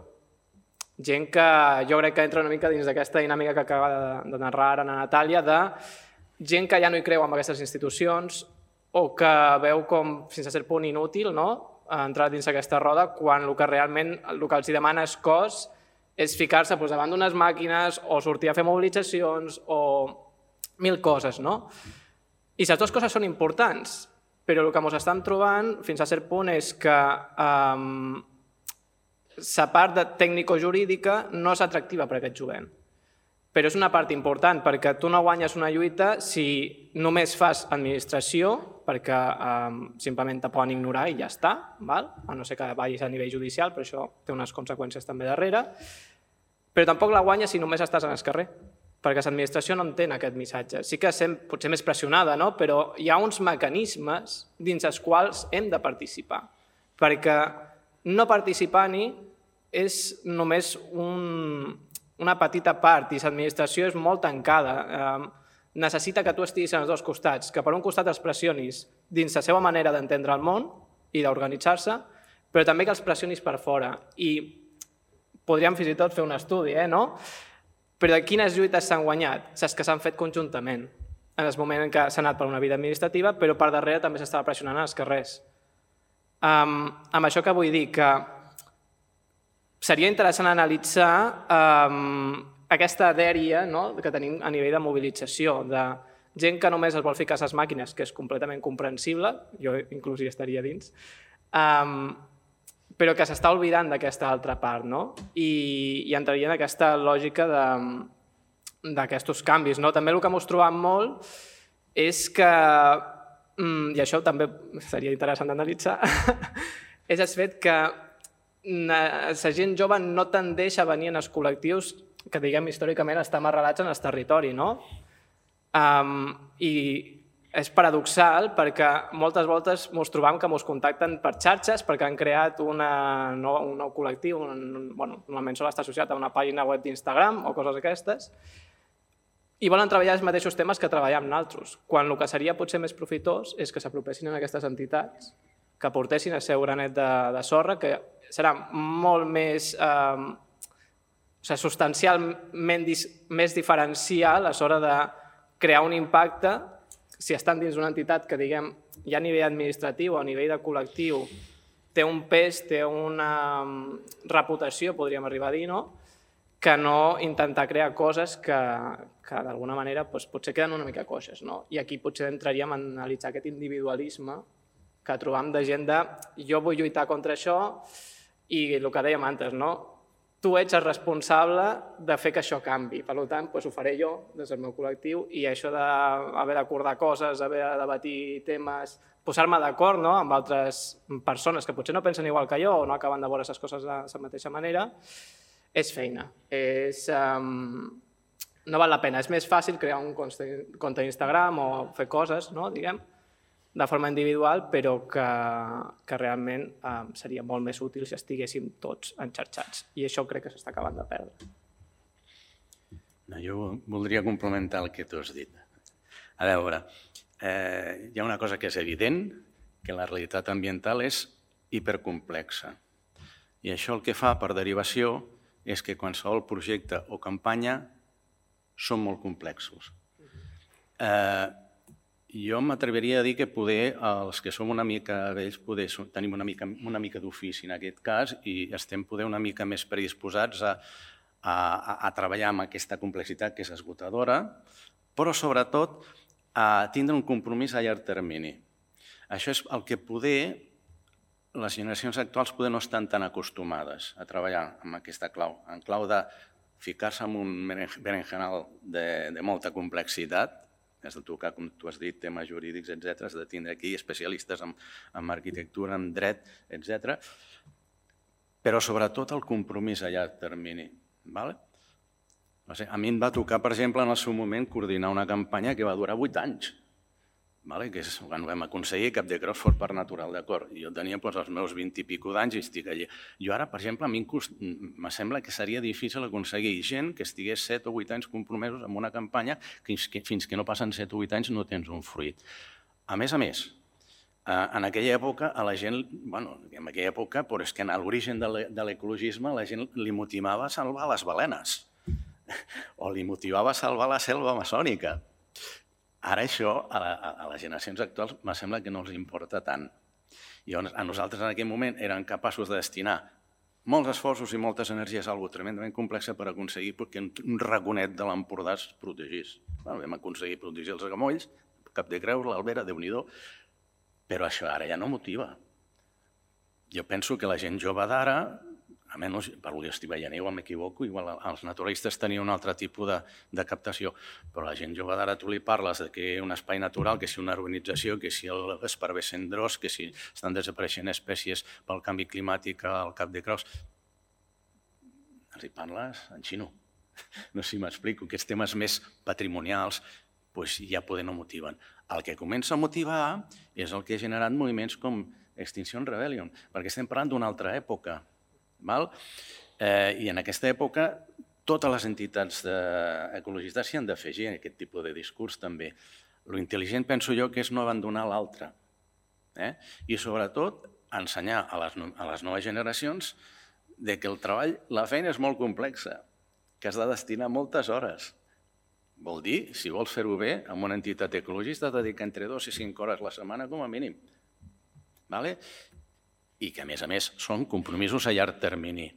Gent que jo crec que entra una mica dins d'aquesta dinàmica que acaba de narrar ara la Natàlia, de gent que ja no hi creu en aquestes institucions o que veu com, fins a cert punt, inútil entrar dins aquesta roda quan el que realment el que els demana és cos és ficar-se davant d'unes màquines o sortir a fer mobilitzacions o mil coses. I les dues coses són importants, però el que ens estem trobant fins a cert punt és que la part tècnico-jurídica no és atractiva per a aquest jovent. Però és una part important, perquè tu no guanyes una lluita si només fas administració, perquè simplement te poden ignorar i ja està, a no ser que vagis a nivell judicial, però això té unes conseqüències també darrere, però tampoc la guanyes si només estàs en el carrer, perquè l'administració no entén aquest missatge. Sí que sent potser més pressionada, però hi ha uns mecanismes dins els quals hem de participar, perquè no participar-hi és només una petita part i l'administració és molt tancada. Necessita que tu estiguis en els dos costats, que per un costat els pressionis dins la seva manera d'entendre el món i d'organitzar-se, però també que els pressionis per fora. I podríem fins i tot fer un estudi, no? Però de quines lluites s'han guanyat? Les que s'han fet conjuntament, en el moment en què s'ha anat per una vida administrativa, però per darrere també s'estava pressionant als carrers. Amb això que vull dir? Que seria interessant analitzar aquesta dèria que tenim a nivell de mobilització, de gent que només es vol ficar a les màquines, que és completament comprensible, jo inclús hi estaria dins, però que s'està oblidant d'aquesta altra part, i entraria en aquesta lògica d'aquests canvis. També el que ens trobam molt és que, i això també seria interessant d'analitzar, és el fet que la gent jove no tendeix a venir en els col·lectius que, diguem, històricament estan arrelats en el territori, no? I és paradoxal perquè moltes voltes ens trobam que ens contacten per xarxes perquè han creat un nou col·lectiu, normalment sol estar associat a una pàgina web d'Instagram o coses aquestes, i volen treballar els mateixos temes que treballem nosaltres, quan el que seria potser més profitós és que s'apropessin a aquestes entitats, que portessin el seu granet de sorra, que serà molt més substancialment més diferencial a l'hora de crear un impacte si estan dins d'una entitat que, diguem, ja a nivell administratiu o a nivell de col·lectiu té un pes, té una reputació, podríem arribar a dir, que no intentar crear coses que d'alguna manera potser queden una mica coixes. I aquí potser entraríem a analitzar aquest individualisme que trobam de gent de jo vull lluitar contra això i el que dèiem antes, tu ets el responsable de fer que això canvi. Per tant, ho faré jo des del meu col·lectiu i això d'haver d'acordar coses, haver de debatir temes, posar-me d'acord amb altres persones que potser no pensen igual que jo o no acaben de veure les coses de la mateixa manera, és feina. No val la pena. És més fàcil crear un compte d'Instagram o fer coses, diguem, de forma individual, però que realment seria molt més útil si estiguéssim tots enxarxats. I això crec que s'està acabant de perdre. Jo voldria complementar el que tu has dit. A veure, hi ha una cosa que és evident, que la realitat ambiental és hipercomplexa. I això el que fa, per derivació, és que qualsevol projecte o campanya són molt complexos. Jo m'atreviria a dir que poder els que som una mica vells tenim una mica d'ofici en aquest cas i estem poder una mica més predisposats a treballar amb aquesta complexitat que és esgotadora, però sobretot a tindre un compromís a llarg termini. Això és el que poder les generacions actuals poder no estan tan acostumades a treballar amb aquesta clau, en clau de ficar-se en un berenjenal de molta complexitat, has de tocar, com tu has dit, temes jurídics, etcètera, has de tindre aquí especialistes en arquitectura, en dret, etcètera, però sobretot el compromís a llarg termini. A mi em va tocar, per exemple, en el seu moment, coordinar una campanya que va durar vuit anys, que és quan vam aconseguir Cap de Creus fos parc natural, d'acord? Jo tenia els meus vint i pico d'anys i estic allà. Jo ara, per exemple, a mi em sembla que seria difícil aconseguir gent que estigués set o vuit anys compromesos amb una campanya que fins que no passen set o vuit anys no tens un fruit. A més a més, En aquella època, a la gent, bueno, en aquella època, però és que en l'origen de l'ecologisme la gent li motivava a salvar les balenes o li motivava a salvar la selva amazònica. Ara això, a les generacions actuals, me sembla que no els importa tant. I a nosaltres en aquell moment érem capaços de destinar molts esforços i moltes energies a alguna cosa tremendament complexa per aconseguir que un raconet de l'Empordà es protegís. Vam aconseguir protegir els agamolls, Cap de Creus, l'Albera, Déu-n'hi-do, però això ara ja no motiva. Jo penso que la gent jove d'ara, almenys per lo que estic veient, igual m'equivoco, igual els naturalistes tenien un altre tipus de captació, però la gent jove d'ara tu li parles que un espai natural, que si una urbanització, que si l'esparver cendrós, que si estan desapareixent espècies pel canvi climàtic al Cap de Creus, els hi parles en xino. No sé si m'explico, aquests temes més patrimonials ja poder no motiven. El que comença a motivar és el que ha generat moviments com Extinction Rebellion, perquè estem parlant d'una altra època. I en aquesta època totes les entitats ecologistes s'hi han d'afegir en aquest tipus de discurs també. Lo intel·ligent penso jo que és no abandonar l'altre i sobretot ensenyar a les noves generacions que el treball, la feina és molt complexa, que has de destinar moltes hores. Vol dir, si vols fer-ho bé, amb una entitat ecologista has de dedicar entre dues i cinc hores la setmana com a mínim. I que, a més a més, són compromisos a llarg termini.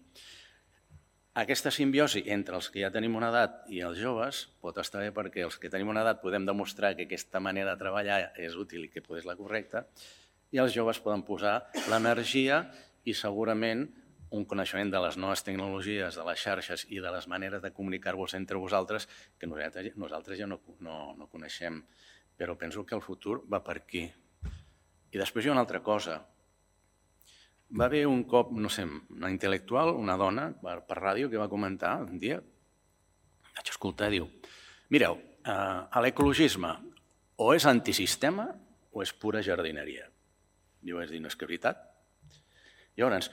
Aquesta simbiosi entre els que ja tenim una edat i els joves pot estar bé perquè els que tenim una edat podem demostrar que aquesta manera de treballar és útil i que és la correcta, i els joves poden posar l'energia i segurament un coneixement de les noves tecnologies, de les xarxes i de les maneres de comunicar-vos entre vosaltres que nosaltres ja no coneixem, però penso que el futur va per aquí. I després hi ha una altra cosa. Va haver un cop, no sé, una intel·lectual, una dona, per ràdio, que va comentar un dia, vaig escoltar i diu, mireu, l'ecologisme o és antisistema o és pura jardineria. Jo vaig dir, no és que és veritat. Llavors,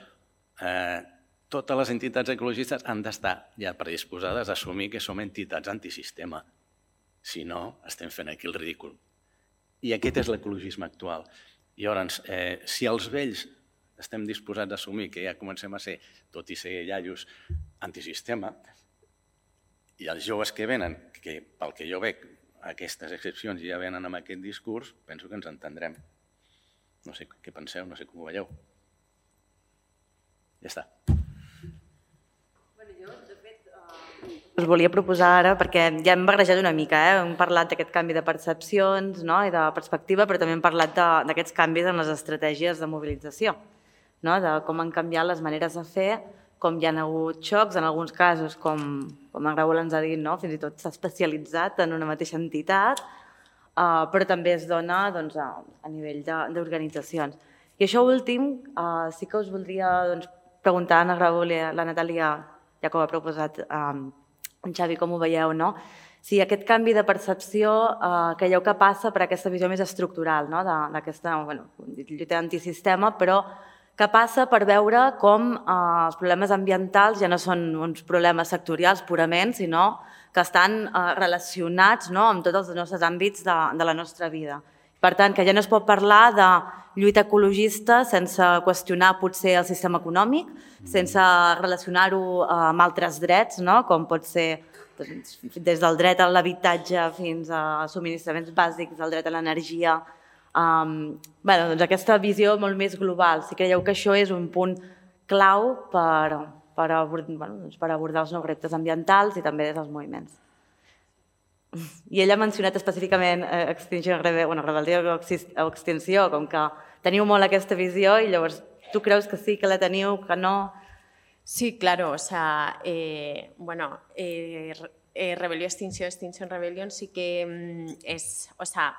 totes les entitats ecologistes han d'estar ja predisposades a assumir que som entitats antisistema. Si no, estem fent aquí el ridícul. I aquest és l'ecologisme actual. Llavors, si els vells estem disposats a assumir que ja comencem a ser, tot i ser iaios, antisistema, i els joves que venen, que pel que jo veig, aquestes excepcions ja venen amb aquest discurs, penso que ens entendrem. No sé què penseu, no sé com ho veieu. Ja està. Jo, de fet, us volia proposar ara, perquè ja hem barrejat una mica, hem parlat d'aquest canvi de percepcions i de perspectiva, però també hem parlat d'aquests canvis en les estratègies de mobilització, de com han canviat les maneres de fer, com hi ha hagut xocs, en alguns casos, com en Raül ens ha dit, fins i tot s'ha especialitzat en una mateixa entitat, però també es dona a nivell d'organitzacions. I això últim, sí que us voldria preguntar a Raül i a la Natàlia, ja com ha proposat en Xavi, com ho veieu, si aquest canvi de percepció creieu que passa per aquesta visió més estructural d'aquesta lluita antisistema, però que passa per veure com els problemes ambientals ja no són uns problemes sectorials purament, sinó que estan relacionats amb tots els nostres àmbits de la nostra vida. Per tant, que ja no es pot parlar de lluita ecologista sense qüestionar potser el sistema econòmic, sense relacionar-ho amb altres drets, com pot ser des del dret a l'habitatge fins a subministraments bàsics, el dret a l'energia. Aquesta visió molt més global. Si creieu que això és un punt clau per abordar els nous reptes ambientals i també des dels moviments. I ell ha mencionat específicament rebel·lia o extinció, com que teniu molt aquesta visió i llavors tu creus que sí, que la teniu, que no? Sí, claro, o sea, bueno, Rebelión, Extinción, Extinction Rebellion sí que es, o sea,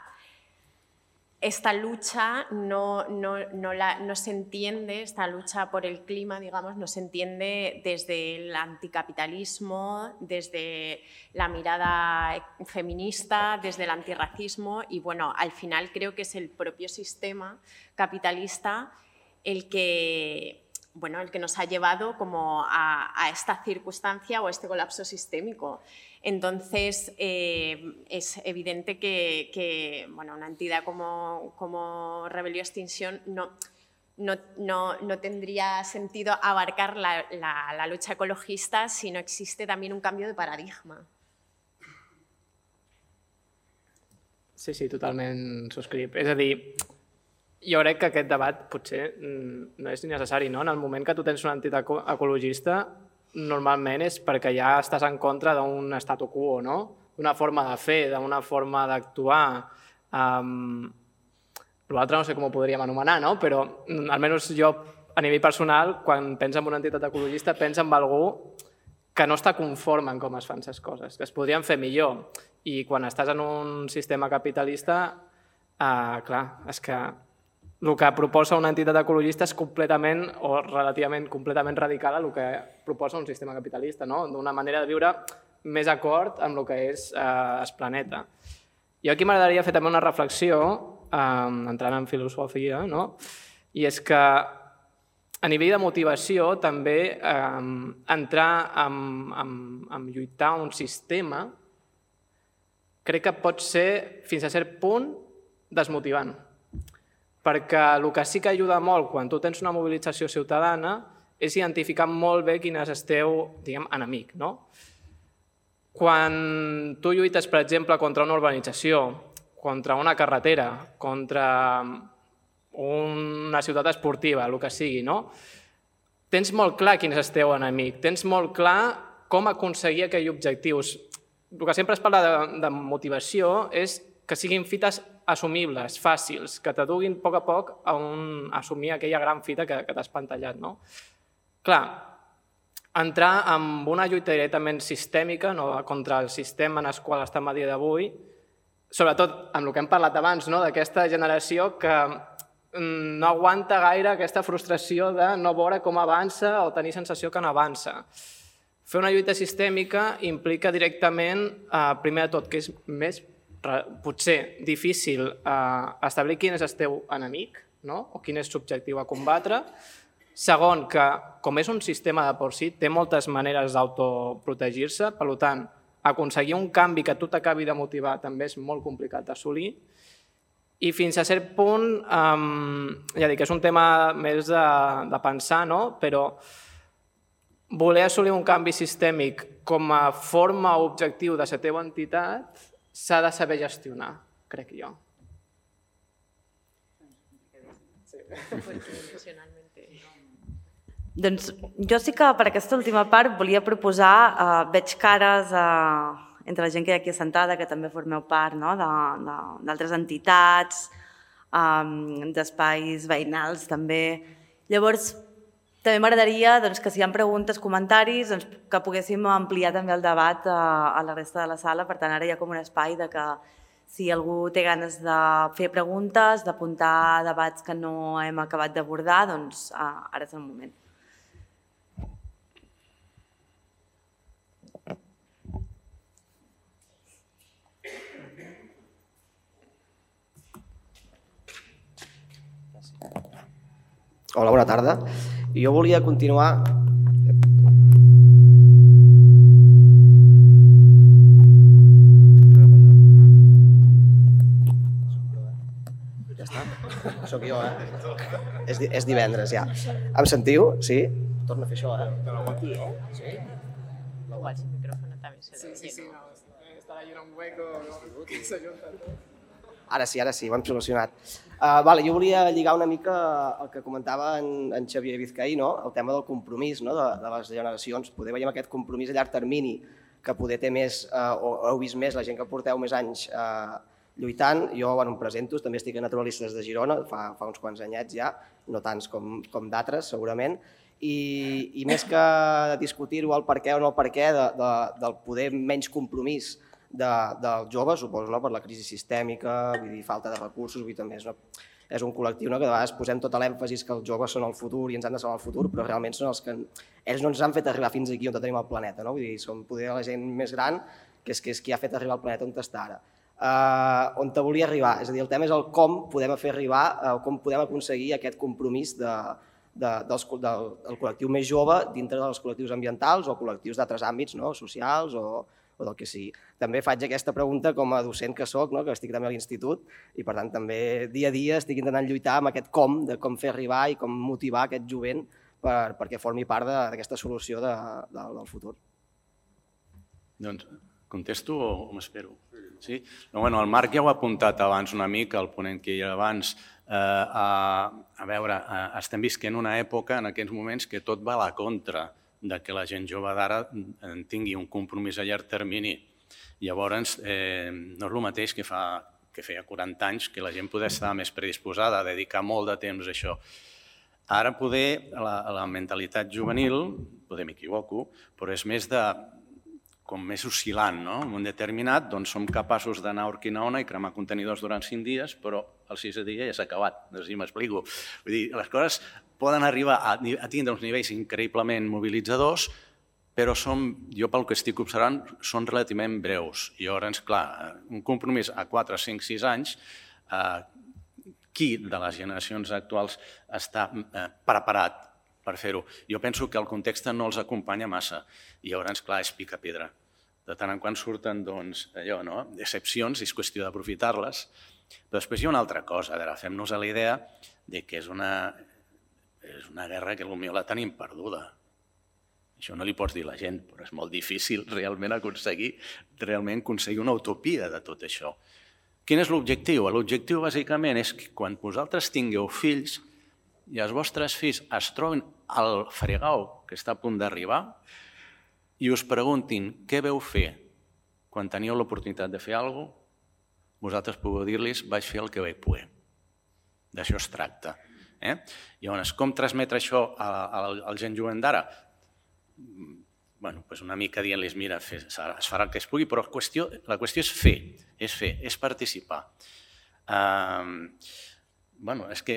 esta lucha no, no, no, la, no se entiende, esta lucha por el clima, digamos, no se entiende desde el anticapitalismo, desde la mirada feminista, desde el antirracismo y, bueno, al final creo que es el propio sistema capitalista el que, bueno, el que nos ha llevado como a, a esta circunstancia o a este colapso sistémico. Entonces, eh, es evidente que, que bueno, una entidad como, como Rebelión Extinción no, no, no, no tendría sentido abarcar la, la, la lucha ecologista si no existe también un cambio de paradigma. Sí, sí, totalment subscric. És a dir, jo crec que aquest debat potser no és ni necessari, no? En el moment que tu tens una entitat ecologista, normalment és perquè ja estàs en contra d'un statu quo, no? D'una forma de fer, d'una forma d'actuar. Um, L'altre no sé com ho podríem anomenar, no? Però almenys jo, a nivell personal, quan penso en una entitat ecologista, penso en algú que no està conforme en com es fan les coses, que es podrien fer millor. I quan estàs en un sistema capitalista, eh, clar, és que el que proposa una entitat ecologista és completament o relativament completament radical a el que proposa un sistema capitalista, no? D'una manera de viure més acord amb el que és eh, el planeta. Jo aquí m'agradaria fer també una reflexió, eh, entrant en filosofia, no? I és que a nivell de motivació també eh, entrar en, en, en lluitar un sistema crec que pot ser, fins a cert punt, desmotivant. Perquè el que sí que ajuda molt quan tu tens una mobilització ciutadana és identificar molt bé quin és el teu, diguem, enemic, no? Quan tu lluites, per exemple, contra una urbanització, contra una carretera, contra una ciutat esportiva, el que sigui, no? Tens molt clar quin és el teu enemic, tens molt clar com aconseguir aquells objectius. El que sempre es parla de, de motivació és que siguin fites assumibles, fàcils, que t'aduguin a poc a poc a, un, a assumir aquella gran fita que, que t'has pantallat, no? Clar, entrar en una lluita directament sistèmica, no, contra el sistema en el qual estem a dia d'avui, sobretot amb el que hem parlat abans, no, d'aquesta generació que no aguanta gaire aquesta frustració de no veure com avança o tenir sensació que no avança. Fer una lluita sistèmica implica directament, eh, primer de tot, que és més, potser, difícil eh, establir quin és el teu enemic, no? O quin és l'objectiu a combatre. Segon, que com és un sistema de por si, té moltes maneres d'autoprotegir-se, per tant, aconseguir un canvi que a tu t'acabi de motivar també és molt complicat d'assolir. I fins a cert punt, eh, ja dic, és un tema més de, de pensar, no? Però voler assolir un canvi sistèmic com a forma o objectiu de la teva entitat s'ha de saber gestionar, crec jo. Doncs jo sí que per aquesta última part volia proposar, eh, veig cares eh, entre la gent que hi ha aquí assentada, que també formeu part, no? d'altres entitats, eh, d'espais veïnals també. Llavors, també m'agradaria doncs, que si hi ha preguntes, comentaris, doncs, que poguéssim ampliar també el debat a, a la resta de la sala. Per tant, ara hi ha com un espai de que si algú té ganes de fer preguntes, d'apuntar debats que no hem acabat d'abordar, doncs ara és el moment. Hola, bona tarda. Jo volia continuar... Ja està. Soc jo, eh? És, és divendres, ja. Em sentiu? Sí? Torna a fer això, eh? Te l'aguanto jo? Sí? Igual si el micrófono también se Sí, sí, sí. No, estarà allà un hueco que s'ajunta tot. Ara sí, ara sí, ho hem solucionat. Uh, vale, jo volia lligar una mica el que comentava en, en Xavier Vizcaí, no? El tema del compromís, no? de, de les generacions. Poder veiem aquest compromís a llarg termini que poder té més, uh, o heu vist més la gent que porteu més anys uh, lluitant. Jo bueno, em presento, també estic a Naturalistes de Girona, fa, fa uns quants anyets ja, no tants com, com d'altres segurament, i, i més que discutir-ho el per què o no el per què de, de, del poder menys compromís De, dels joves, suposo, no? Per la crisi sistèmica, vull dir, falta de recursos, vull dir, també és, no? És un col·lectiu no? que de vegades posem tot l'èmfasis que els joves són el futur i ens han de salvar el futur, però realment són els que ells no ens han fet arribar fins aquí on tenim el planeta, no? Vull dir, som poder la gent més gran que és, que és qui ha fet arribar al planeta on està ara. Uh, on te volia arribar, és a dir, el tema és el com podem fer arribar, uh, com podem aconseguir aquest compromís de, del col·lectiu més jove dintre dels col·lectius ambientals o col·lectius d'altres àmbits socials o del que sigui. També faig aquesta pregunta com a docent que soc, que estic també a l'institut, i per tant també dia a dia estic intentant lluitar amb aquest com, de com fer arribar i com motivar aquest jovent perquè formi part d'aquesta solució del futur. Doncs contesto o m'espero? Sí? El Marc ja ho ha apuntat abans una mica, el ponent que hi era abans. A veure, estem visquent una època en aquests moments que tot va a la contra que la gent jove d'ara tingui un compromís a llarg termini. Llavors, no és el mateix que feia quaranta anys, que la gent podia estar més predisposada a dedicar molt de temps a això. Ara poder, la mentalitat juvenil, poder m'equivoco, però és més de com més oscil·lant, no? En un determinat, doncs som capaços d'anar a Urquinaona i cremar contenidors durant cinc dies, però el sisè dia ja s'ha acabat, no sé si m'explico. Vull dir, les coses poden arribar a tindre uns nivells increïblement mobilitzadors, però jo pel que estic observant són relativament breus. I llavors, clar, un compromís a quatre, cinc, sis anys, qui de les generacions actuals està preparat per fer-ho? Jo penso que el context no els acompanya massa i llavors, clar, és pica pedra. De tant en quant surten, doncs, allò, no? Excepcions, és qüestió d'aprofitar-les. Però després hi ha una altra cosa, fem-nos a la idea que és una guerra que potser la tenim perduda. Això no li pots dir a la gent, però és molt difícil realment aconseguir realment aconseguir una utopia de tot això. Quin és l'objectiu? L'objectiu, bàsicament, és que quan vosaltres tingueu fills i els vostres fills es trobin al fregau que està a punt d'arribar i us preguntin què veu fer quan teníeu l'oportunitat de fer alguna cosa, vosaltres podeu dir-los vaig fer el que vaig poder. D'això es tracta. Llavors, com transmetre això al gent jovent d'ara? Una mica dient-los, mira, es farà el que es pugui, però la qüestió és fer, és fer, és participar. És que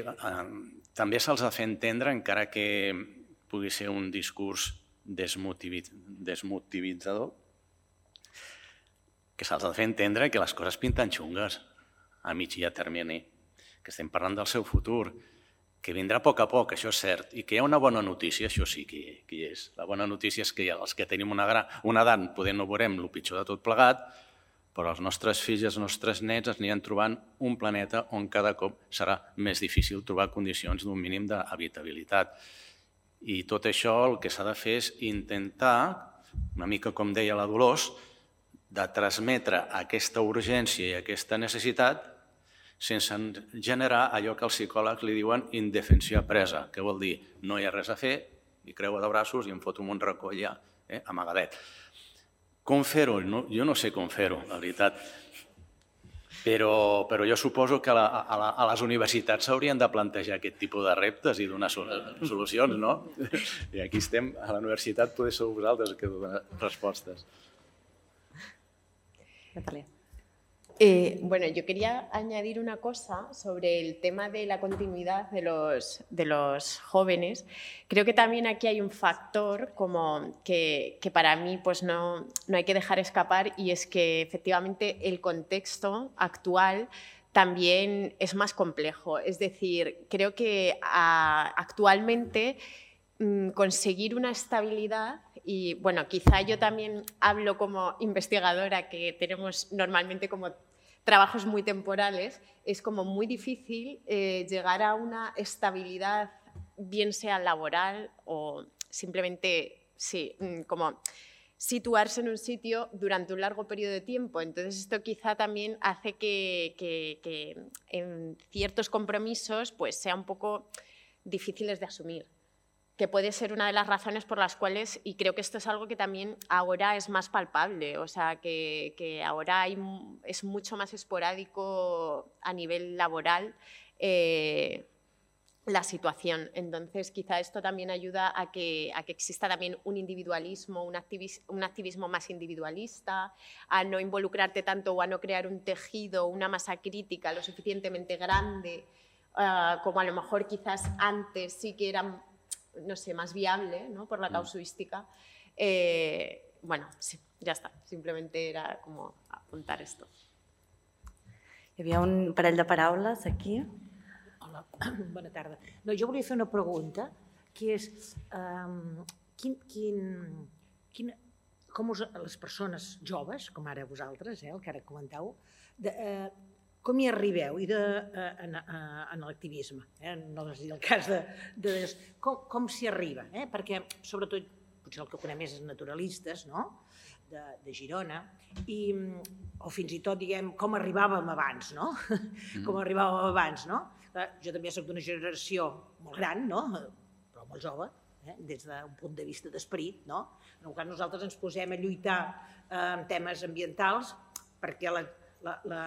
també se'ls ha de fer entendre, encara que pugui ser un discurs desmotivitzador, que se'ls ha de fer entendre que les coses pinten xungues a mig i a termini, que estem parlant del seu futur, que vindrà a poc a poc, això és cert, i que hi ha una bona notícia, això sí que hi és. La bona notícia és que els que tenim una edat poder no veurem el pitjor de tot plegat, però els nostres fills i els nostres nets es aniran trobant un planeta on cada cop serà més difícil trobar condicions d'un mínim d'habitabilitat. I tot això el que s'ha de fer és intentar, una mica com deia la Dolors, de transmetre aquesta urgència i aquesta necessitat sense generar allò que els psicòlegs li diuen indefensió presa, que vol dir no hi ha res a fer, i creua de braços i em foto un racó allà, amagadet. Com fer-ho? Jo no sé com fer-ho, la veritat. Però jo suposo que a les universitats s'haurien de plantejar aquest tipus de reptes i donar solucions, no? I aquí estem, a la universitat, poder ser vosaltres que donen respostes. Natalia. Eh, bueno, yo quería añadir una cosa sobre el tema de la continuidad de los, de los jóvenes. Creo que también aquí hay un factor como que, que para mí pues no, no hay que dejar escapar, y es que efectivamente el contexto actual también es más complejo. Es decir, creo que a, actualmente mmm, conseguir una estabilidad. Y bueno, quizá yo también hablo como investigadora, que tenemos normalmente como trabajos muy temporales, es como muy difícil eh, llegar a una estabilidad, bien sea laboral o simplemente, sí, como situarse en un sitio durante un largo periodo de tiempo. Entonces esto quizá también hace que, que, que en ciertos compromisos pues sea un poco difíciles de asumir, que puede ser una de las razones por las cuales, y creo que esto es algo que también ahora es más palpable, o sea, que, que ahora hay, es mucho más esporádico a nivel laboral eh, la situación. Entonces, quizá esto también ayuda a que, a que exista también un individualismo, un activismo, un activismo más individualista, a no involucrarte tanto o a no crear un tejido, una masa crítica lo suficientemente grande, uh, como a lo mejor quizás antes sí que eran, no sé, más viable, ¿no? Por la casuística. Eh, bueno, sí, ja està. Simplement era com apuntar esto. Hi havia un parell de paraules aquí. Hola, bona tarda. No, jo volia fer una pregunta que és quin, quin, quin, com us, les persones joves, com ara vosaltres, eh, el que ara comentau, de, eh, com hi arribeu i de, eh, en, en l'activisme, eh? No és el cas de... de com com s'hi arriba, eh? Perquè sobretot, potser el que conec més és naturalistes, no?, de, de Girona, i, o fins i tot, diguem, com arribàvem abans, no?, mm. com arribàvem abans, no? Jo també soc d'una generació molt gran, no?, però molt jove, eh? Des d'un punt de vista d'esperit, no? En el cas nosaltres ens posem a lluitar eh, en temes ambientals perquè la, la, la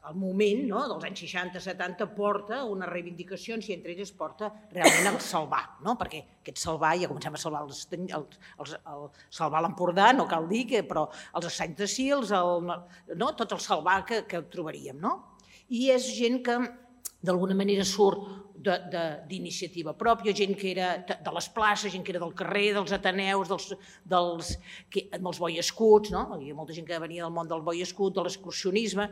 el moment, no?, dels anys seixanta setanta porta unes reivindicacions i entre elles porta realment el salvar, no? Perquè aquest salvar, ja comencem a salvar els, els, els, el salvar l'Empordà, no cal dir, que, però els Estanys de Sils, el, no? Tot el salvar que, que trobaríem, no? I és gent que d'alguna manera surt d'iniciativa pròpia, gent que era de les places, gent que era del carrer, dels ateneus, dels, dels, que, dels Boy Scouts, no? Hi ha molta gent que venia del món del Boy Scout, de l'excursionisme,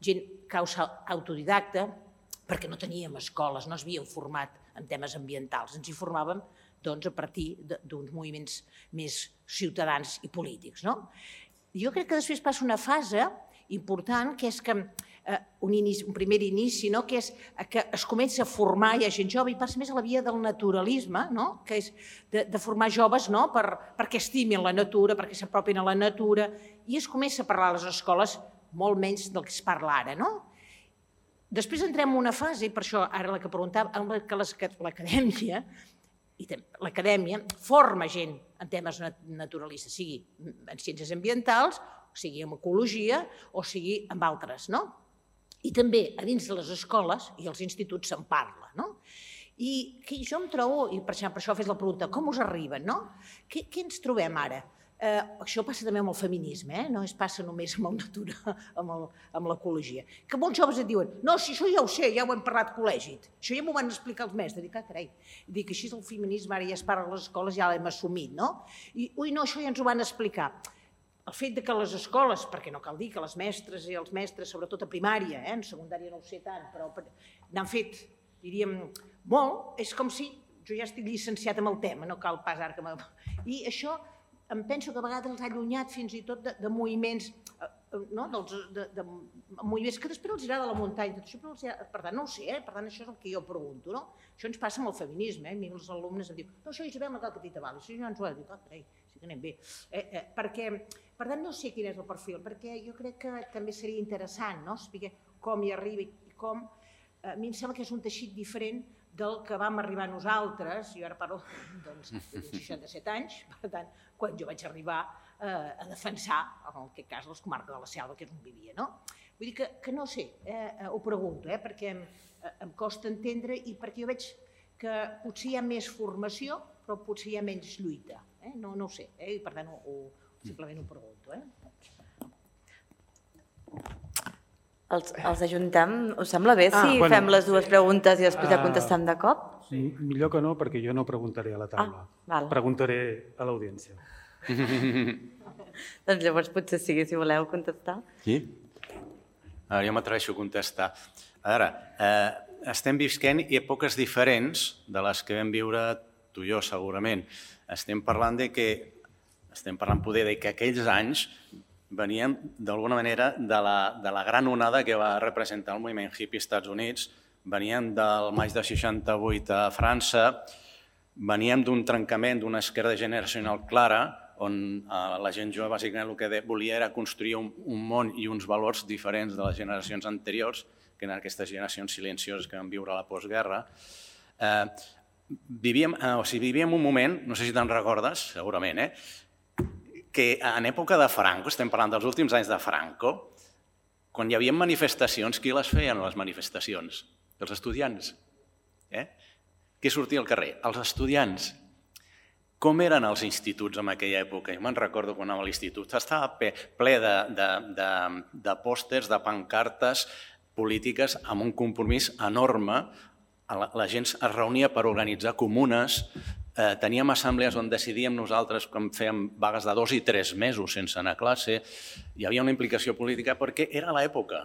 gent causa autodidacta, perquè no teníem escoles, no es havien format en temes ambientals, ens hi formàvem doncs, a partir d'uns moviments més ciutadans i polítics. No? Jo crec que després passa una fase important, que és que eh, un, inici, un primer inici, no? Que és que es comença a formar, hi ha gent jove, i passa més a la via del naturalisme, no? Que és de, de formar joves, no? Per, perquè estimin la natura, perquè s'apropin a la natura, i es comença a parlar a les escoles molt menys del que es parla ara, no? Després entrem en una fase, i per això ara la que preguntava, en què l'acadèmia l'acadèmia forma gent en temes naturalistes, sigui en ciències ambientals, sigui en ecologia o sigui en altres, no? I també a dins de les escoles i els instituts se'n parla, no? I jo em trobo, i per això fes la pregunta, com us arriben, no? Què ens trobem ara? Eh, això passa també amb el feminisme, eh? No es passa només amb el natura, amb l'ecologia. Que molts joves et diuen, no, si això ja ho sé, ja ho hem parlat al col·legi, això ja m'ho van explicar els mestres. Dic, ah, carai, dic, així el feminisme ara ja es parla a les escoles, ja l'hem assumit, no? I, ui, no, això ja ens ho van explicar. El fet que les escoles, perquè no cal dir que les mestres i els mestres, sobretot a primària, eh? En secundària no ho sé tant, però n'han fet, diríem, molt, és com si jo ja estic llicenciat amb el tema, no cal pas ara que m'ha... I això em penso que a vegades els ha allunyat fins i tot de, de moviments, no? Dels, de, de moviments que després els agrada la muntanya, tot això, però els ha... per tant no ho sé, eh? Per tant això és el que jo pregunto, no? Això ens passa amb el feminisme, eh? A mi els alumnes em diuen, no, això Isabel no cal que t'hi t'avali, això ja ens ho ha dit, ah, carai, sí que anem bé. Eh, eh, perquè, per tant no sé quin és el perfil, perquè jo crec que també seria interessant, no? Saber com hi arriba i com... A mi em sembla que és un teixit diferent del que vam arribar nosaltres, jo ara parlo doncs, de seixanta-set anys, per tant, quan jo vaig arribar eh, a defensar, en aquest cas, les comarques de la Selva, que és on vivia, no? Vull dir que, que no sé, eh, ho pregunto, eh, perquè em, em costa entendre i perquè jo veig que potser hi ha més formació, però potser hi ha menys lluita, eh? No, no ho sé, eh? I per tant, ho, ho, simplement ho pregunto, eh? Els, els ajuntem? Us sembla bé si ah, bueno, fem les dues preguntes i després ja contestem de cop? Sí. Millor que no, perquè jo no preguntaré a la taula. Ah, preguntaré a l'audiència. Doncs llavors potser sigui, si voleu contestar. Sí? Ara jo m'atreveixo a contestar. A veure, eh, estem visquent èpoques diferents de les que vam viure tu i jo, segurament. Estem parlant de que, estem parlant poder de que aquells anys veníem, d'alguna manera, de la, de la gran onada que va representar el moviment hippie als Estats Units. Veníem del maig de seixanta-vuit a França, veníem d'un trencament d'una esquerda generacional clara, on la gent jove bàsicament el que volia era construir un, un món i uns valors diferents de les generacions anteriors, que eren aquestes generacions silencioses que van viure a la postguerra. Eh, vivíem, eh, o sigui, vivíem un moment, no sé si te'n recordes, segurament, eh? Que en època de Franco, estem parlant dels últims anys de Franco, quan hi havia manifestacions, qui les feien, les manifestacions? Els estudiants. Eh? Qui sortia al carrer? Els estudiants. Com eren els instituts en aquella època? Jo me'n recordo quan anava a l'institut, estava ple de, de, de, de pòsters, de pancartes polítiques amb un compromís enorme. La, la gent es reunia per organitzar comunes, Eh, teníem assemblees on decidíem nosaltres quan fèiem vagues de dos i tres mesos sense anar a classe. Hi havia una implicació política perquè era l'època.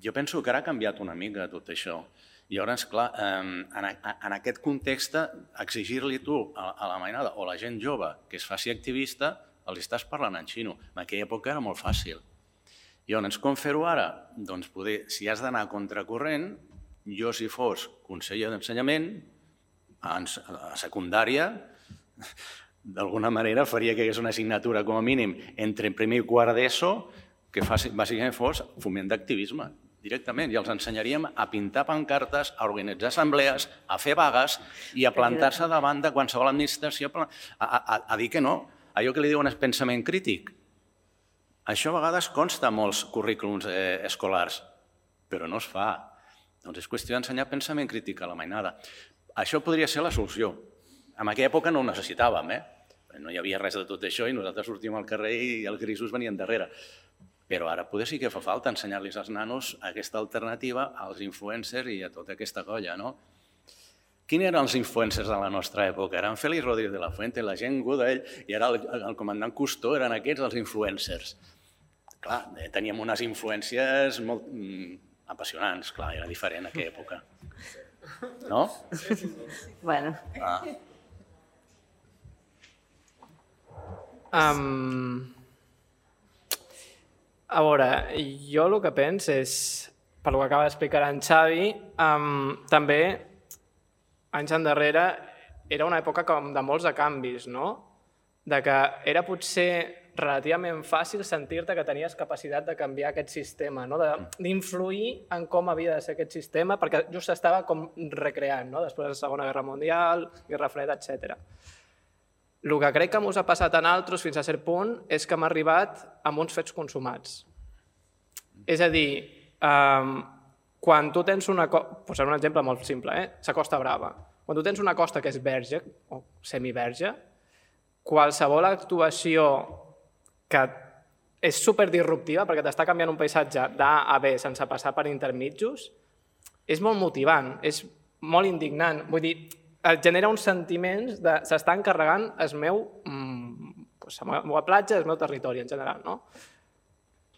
Jo penso que ara ha canviat una mica tot això Llavors, clar, en aquest context, exigir-li tu a la mainada o a la gent jove que es faci activista, els estàs parlant en xino. En aquella època era molt fàcil. Llavors, com fer-ho ara? Doncs poder, si has d'anar a contracorrent, jo si fos conseller d'ensenyament, a secundària, d'alguna manera faria que hi hagués una assignatura com a mínim entre primer i quart d'ESO que bàsicament fos foment d'activisme. Directament, i els ensenyaríem a pintar pancartes, a organitzar assemblees, a fer vagues i a plantar-se davant de qualsevol administració, a dir que no. Allò que li diuen és pensament crític. Això a vegades consta a molts currículums escolars, però no es fa. Doncs és qüestió d'ensenyar pensament crític a la mainada. Això podria ser la solució. En aquella època no ho necessitàvem, eh? No hi havia res de tot això i nosaltres sortíem al carrer i els grisos venien darrere. Però ara poder sí que fa falta ensenyar-los als nanos aquesta alternativa als influencers i a tota aquesta colla, no? Quins eren els influencers de la nostra època? Eren Félix Rodríguez de la Fuente, la gent Godell, i ara el comandant Cousteau eren aquests els influencers. Clar, teníem unes influències molt apassionants, clar, era diferent en aquella època. No? Bueno. Um... A veure, jo el que penso és, per lo que acaba d'explicar en Xavi, um, també, anys endarrere, era una època com de molts de canvis, no? De que era potser relativament fàcil sentir-te que tenies capacitat de canviar aquest sistema, no? D'influir en com havia de ser aquest sistema, perquè just s'estava com recreant, no? Després de la Segona Guerra Mundial, Guerra Freda, etcètera. El que crec que ens ha passat a nosaltres fins a cert punt és que hem arribat amb uns fets consumats. És a dir, quan tu tens una costa, posaré un exemple molt simple, la Costa Brava. Quan tu tens una costa que és verge o semiverge, qualsevol actuació que és superdisruptiva perquè t'està canviant un paisatge d'A a B sense passar per intermitjos, és molt motivant, és molt indignant. Vull dir, et genera uns sentiments de s'estan carregant el meu, la meva platja, el meu territori en general.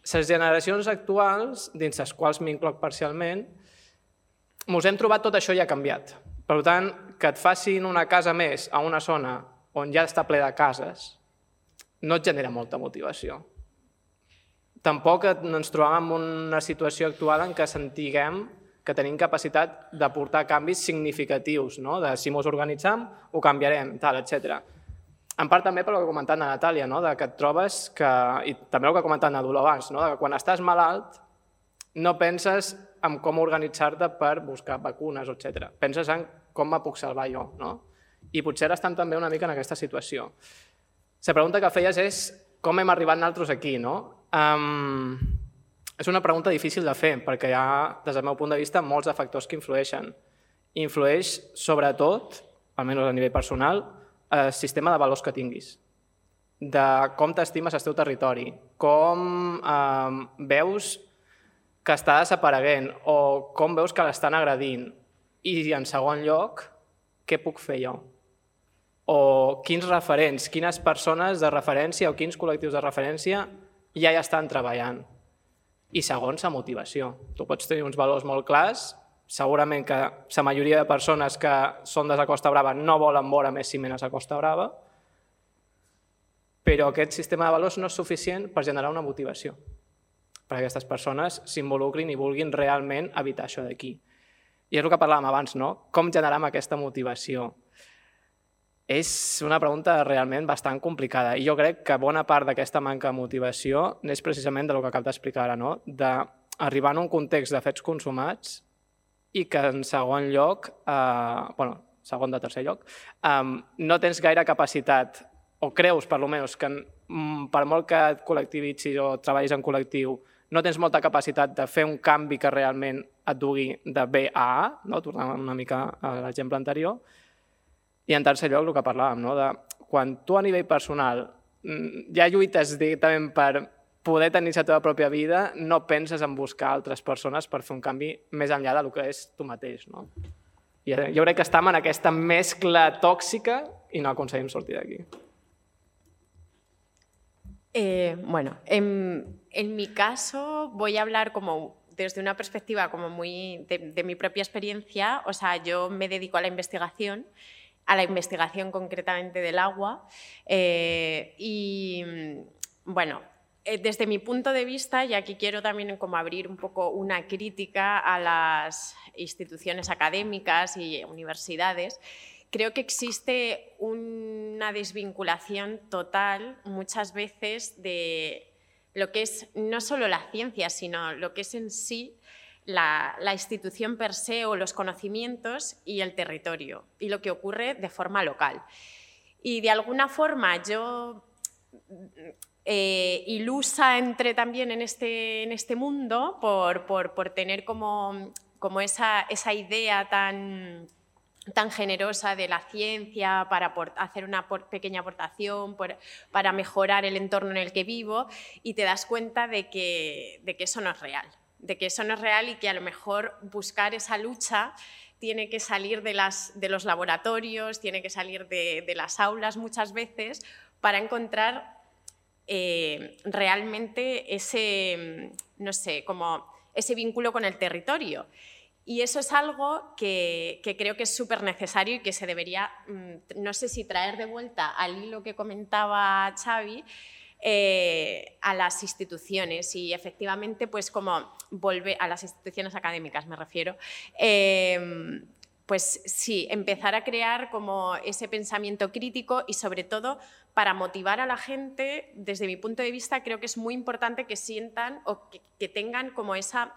Les generacions actuals, dins les quals m'incloc parcialment, ens hem trobat tot això ja canviat. Per tant, que et facin una casa més a una zona on ja està ple de cases, no et genera molta motivació. Tampoc ens trobem en una situació actual en què sentiguem que tenim capacitat de portar canvis significatius, de si ens organitzem, ho canviarem, etcètera. En part també pel que ha comentat la Natàlia, que et trobes que, i també el que ha comentat Nadul abans, que quan estàs malalt no penses en com organitzar-te per buscar vacunes, etcètera. Penses en com me puc salvar jo. I potser ara estem també una mica en aquesta situació. La pregunta que feies és com hem arribat nosaltres aquí, no? És una pregunta difícil de fer, perquè hi ha, des del meu punt de vista, molts de factors que influeixen. Influeix, sobretot, almenys a nivell personal, el sistema de valors que tinguis, de com t'estimes el teu territori, com veus que està desapareguent o com veus que l'estan agredint. I, en segon lloc, què puc fer jo? O quins referents, quines persones de referència o quins col·lectius de referència ja hi estan treballant. I segons, la motivació. Tu pots tenir uns valors molt clars, segurament que la majoria de persones que són de la Costa Brava no volen veure més ciment a la Costa Brava, però aquest sistema de valors no és suficient per generar una motivació, perquè aquestes persones s'involucrin i vulguin realment evitar això d'aquí. I és el que parlàvem abans, no? Com generem aquesta motivació? És una pregunta realment bastant complicada i jo crec que bona part d'aquesta manca de motivació és precisament del que acabo d'explicar ara, no? D'arribar en un context de fets consumats i que en segon lloc, bueno, segon de tercer lloc, no tens gaire capacitat, o creus per almenys que per molt que et col·lectivitzis o treballis en col·lectiu, no tens molta capacitat de fer un canvi que realment et dugui de B a A, tornant una mica a l'exemple anterior. I en tercer lloc, el que parlàvem, de quan tu a nivell personal ja lluites directament per poder tenir la teva pròpia vida, no penses en buscar altres persones per fer un canvi més enllà del que és tu mateix. Jo crec que estem en aquesta mescla tòxica i no aconseguim sortir d'aquí. Bueno, en mi caso voy a hablar como desde una perspectiva como muy de, de mi propia experiencia, o sea, yo me dedico a la investigación, a la investigación concretamente del agua eh, y, bueno, desde mi punto de vista, y aquí quiero también como abrir un poco una crítica a las instituciones académicas y universidades, creo que existe una desvinculación total muchas veces de lo que es no solo la ciencia, sino lo que es en sí la, la institución per se o los conocimientos y el territorio y lo que ocurre de forma local. Y de alguna forma yo, eh, ilusa entré también en este, en este mundo por, por, por tener como, como esa, esa idea tan... tan generosa de la ciencia para hacer una pequeña aportación, para mejorar el entorno en el que vivo, y te das cuenta de que, de que eso no es real, de que eso no es real y que a lo mejor buscar esa lucha tiene que salir de, las, de los laboratorios, tiene que salir de, de las aulas muchas veces para encontrar eh, realmente ese, no sé, como ese vínculo con el territorio. Y eso es algo que, que creo que es súper necesario y que se debería, no sé si traer de vuelta al hilo que comentaba Xavi, eh, a las instituciones y efectivamente pues como volver a las instituciones académicas me refiero, eh, pues sí, empezar a crear como ese pensamiento crítico y sobre todo para motivar a la gente, desde mi punto de vista creo que es muy importante que sientan o que, que tengan como esa...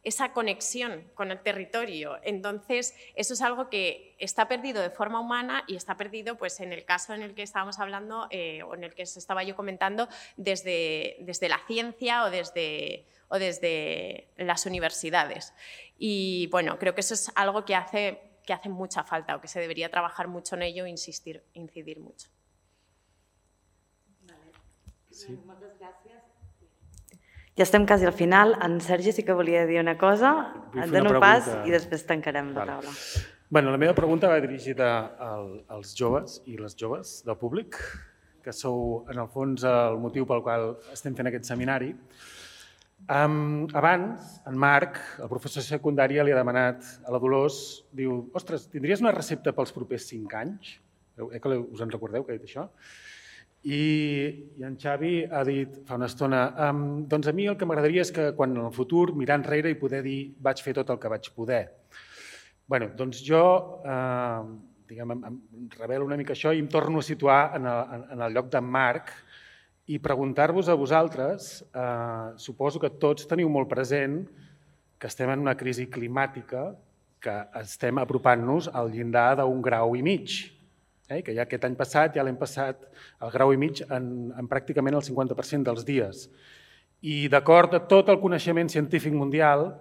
esa conexión con el territorio. Entonces, eso es algo que está perdido de forma humana y está perdido pues, en el caso en el que estábamos hablando eh, o en el que os estaba yo comentando desde, desde la ciencia o desde, o desde las universidades. Y bueno, creo que eso es algo que hace, que hace mucha falta o que se debería trabajar mucho en ello e insistir, incidir mucho. Vale. Sí. Moltes gràcies. Ja estem quasi al final. En Sergi sí que volia dir una cosa. Et dono pas i després tancarem la taula. Bueno, la meva pregunta va dirigida als joves i les joves del públic, que sou, en el fons, el motiu pel qual estem fent aquest seminari. Abans, en Marc, el professor de secundària, li ha demanat a la Dolors, diu, ostres, tindries una recepta pels propers cinc anys? Eh que us en recordeu que ha dit això? I en Xavi ha dit fa una estona, doncs a mi el que m'agradaria és que quan en el futur mirar enrere i poder dir vaig fer tot el que vaig poder. Bé, doncs jo em revelo una mica això i em torno a situar en el lloc d'en Marc i preguntar-vos a vosaltres, suposo que tots teniu molt present que estem en una crisi climàtica, que estem apropant-nos al llindar d'un grau i mig, que ja aquest any passat ja l'hem passat al grau i mig en pràcticament el cinquanta per cent dels dies. I d'acord amb tot el coneixement científic mundial,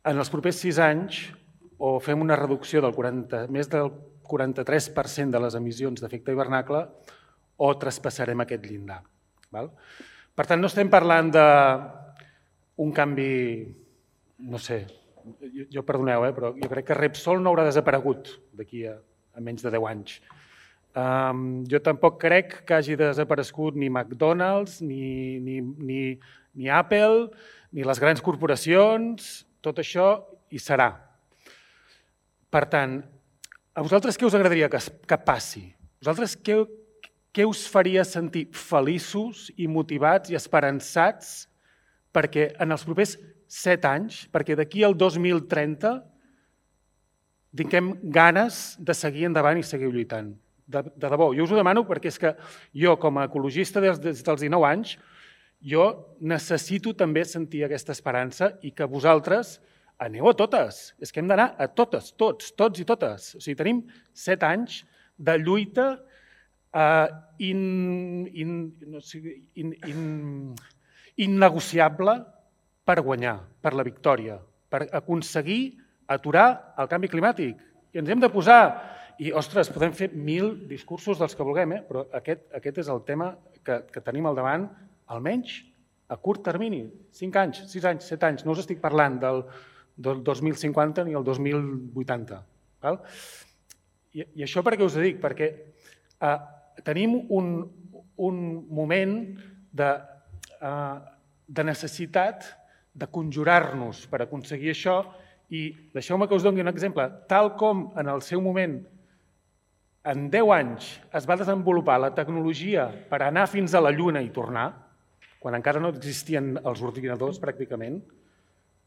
en els propers sis anys o fem una reducció del més del quaranta-tres per cent de les emissions d'efecte hivernacle o traspassarem aquest llindar. Per tant, no estem parlant d'un canvi, no sé, jo perdoneu, però jo crec que Repsol no haurà desaparegut d'aquí a a menys de deu anys. Jo tampoc crec que hagi desaparegut ni McDonald's, ni Apple, ni les grans corporacions, tot això hi serà. Per tant, a vosaltres què us agradaria que passi? A vosaltres què us faria sentir feliços i motivats i esperançats perquè en els propers set anys, perquè d'aquí al dos mil trenta tinguem ganes de seguir endavant i seguir lluitant. De debò, jo us ho demano perquè és que jo, com a ecologista des dels dinou anys, jo necessito també sentir aquesta esperança i que vosaltres aneu a totes. És que hem d'anar a totes, tots, tots i totes. O sigui, tenim set anys de lluita innegociable per guanyar, per la victòria, per aconseguir aturar el canvi climàtic. I ens hem de posar... I, ostres, podem fer mil discursos dels que vulguem, però aquest és el tema que tenim al davant, almenys a curt termini, cinc anys, sis anys, set anys. No us estic parlant del dos mil cinquanta ni el dos mil vuitanta. I això per què us ho dic? Perquè tenim un moment de necessitat de conjurar-nos per aconseguir això, i deixeu-me que us doni un exemple. Tal com en el seu moment, en deu anys, es va desenvolupar la tecnologia per anar fins a la Lluna i tornar, quan encara no existien els ordinadors pràcticament,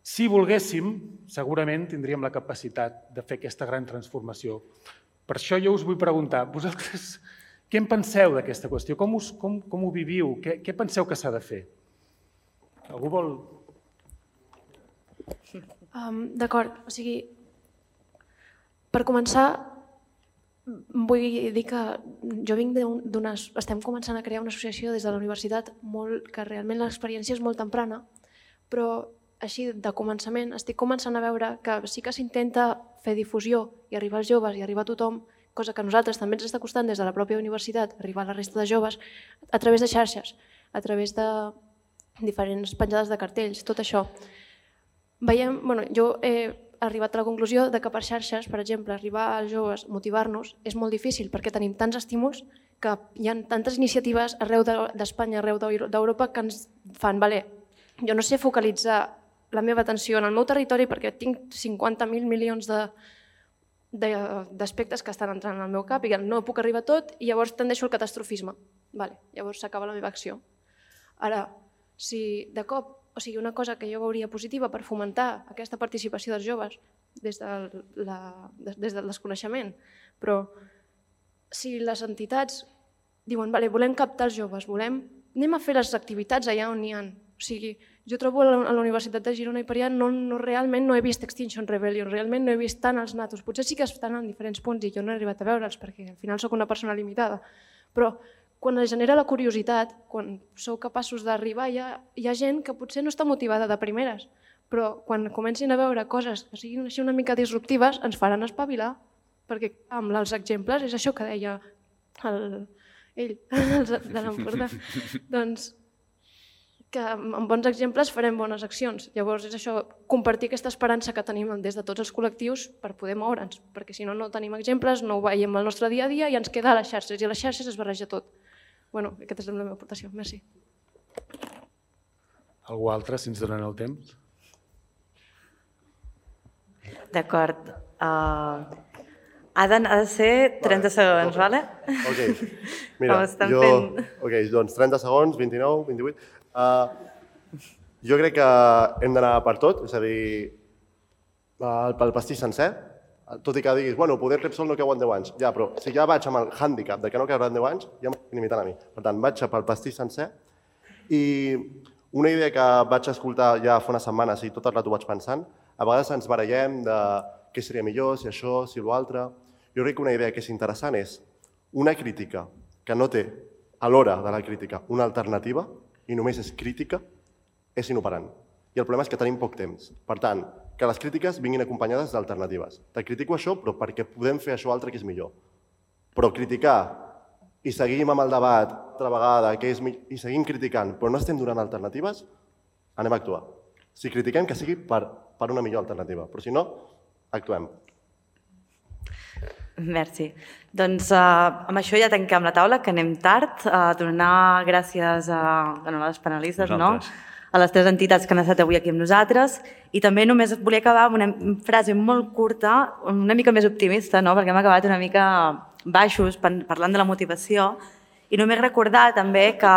si volguéssim, segurament tindríem la capacitat de fer aquesta gran transformació. Per això jo us vull preguntar, vosaltres què en penseu d'aquesta qüestió? Com, us, com, com ho viviu? Què, què penseu que s'ha de fer? Algú vol... Um, D'acord, o sigui, per començar, vull dir que jo vinc d'una... Estem començant a crear una associació des de la universitat molt, que realment l'experiència és molt temprana, però així de començament estic començant a veure que sí que s'intenta fer difusió i arribar als joves i arribar a tothom, cosa que a nosaltres també ens està costant des de la pròpia universitat, arribar a la resta de joves, a través de xarxes, a través de diferents penjades de cartells, tot això. Veiem, bueno, jo he arribat a la conclusió de que per xarxes, per exemple, arribar als joves, motivar-nos, és molt difícil perquè tenim tants estímuls que hi ha tantes iniciatives arreu d'Espanya, arreu d'Europa, que ens fan, vale, jo no sé focalitzar la meva atenció en el meu territori perquè tinc cinquanta mil milions d'aspectes que estan entrant al meu cap i no puc arribar a tot i llavors tendeixo al catastrofisme. Vale, llavors s'acaba la meva acció. Ara, si de cop, o sigui, una cosa que jo veuria positiva per fomentar aquesta participació dels joves des, de la, des del desconeixement, però si les entitats diuen, vale, volem captar els joves, volem, anem a fer les activitats allà on n'hi ha. O sigui, jo trobo a la Universitat de Girona i per allà no, no, realment no he vist Extinction Rebellion, realment no he vist tant els natos. Potser sí que estan en diferents punts i jo no he arribat a veure'ls perquè al final sóc una persona limitada, però quan es genera la curiositat, quan sou capaços d'arribar, hi, hi ha gent que potser no està motivada de primeres, però quan comencin a veure coses que siguin així una mica disruptives, ens faran espavilar, perquè amb els exemples és això que deia el, ell, de l'Empordà. Doncs que amb bons exemples farem bones accions. Llavors és això, compartir aquesta esperança que tenim des de tots els col·lectius per poder moure'ns, perquè si no, no tenim exemples, no ho veiem al nostre dia a dia i ens queda a les xarxes, i a les xarxes es barreja tot. Bueno, aquesta és la meva aportació. Merci. Algú altre, si ens donen el temps? D'acord. Uh, ha, de, ha de ser trenta segons, vale? Ok, mira, jo... Ok, doncs trenta segons, vint-i-nou, vint-i-vuit... Uh, jo crec que hem d'anar per tot, és a dir, pel pastís sencer, tot i que diguis, bueno, poder Repsol no cau en deu anys, ja, però si ja vaig amb el hàndicap de que no caurà en deu anys, ja m'estic limitant a mi. Per tant, vaig pel pastís sencer i una idea que vaig escoltar ja fa unes setmanes i tot el rato vaig pensant, a vegades ens barallem de què seria millor, si això, si l'altre. Jo crec que una idea que és interessant és una crítica que no té a l'hora de la crítica una alternativa i només és crítica, és inoperant. I el problema és que tenim poc temps. Per tant, que les crítiques vinguin acompanyades d'alternatives. Te critico això, però perquè podem fer això altre que és millor. Però criticar i seguim amb el debat altra vegada que és millor, i seguim criticant, però no estem donant alternatives, anem a actuar. Si critiquem, que sigui per, per una millor alternativa, però si no, actuem. Merci. Doncs uh, amb això ja tanquem la taula, que anem tard. Uh, donar gràcies a, bueno, a les panelistes, no? A les tres entitats que han estat avui aquí amb nosaltres. I també només volia acabar amb una frase molt curta, una mica més optimista, no? Perquè hem acabat una mica baixos parlant de la motivació. I només recordar també que,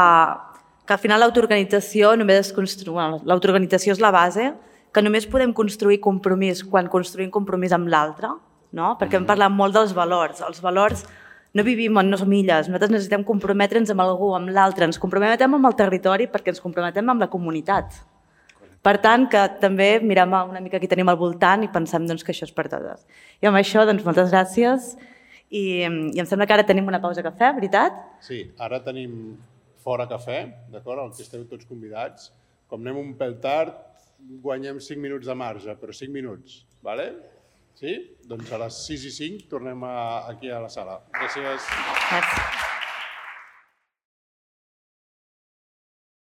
que al final l'autoorganització només es construï... Bueno, l'autoorganització és la base, que només podem construir compromís quan construïm compromís amb l'altre, no? Perquè hem parlat molt dels valors. Els valors no vivim en no som illes, nosaltres necessitem comprometre'ns amb algú, amb l'altre, ens comprometem amb el territori perquè ens comprometem amb la comunitat. Per tant, que també mirem una mica qui tenim al voltant i pensem doncs, que això és per totes. I amb això, doncs, moltes gràcies i, i em sembla que ara tenim una pausa a cafè, veritat? Sí, ara tenim fora cafè, d'acord, al que esteu tots convidats. Com anem un pèl tard, guanyem cinc minuts de marge, però cinc minuts, d'acord? Sí? Doncs a les sis i cinc tornem aquí a la sala. Gràcies. Gràcies.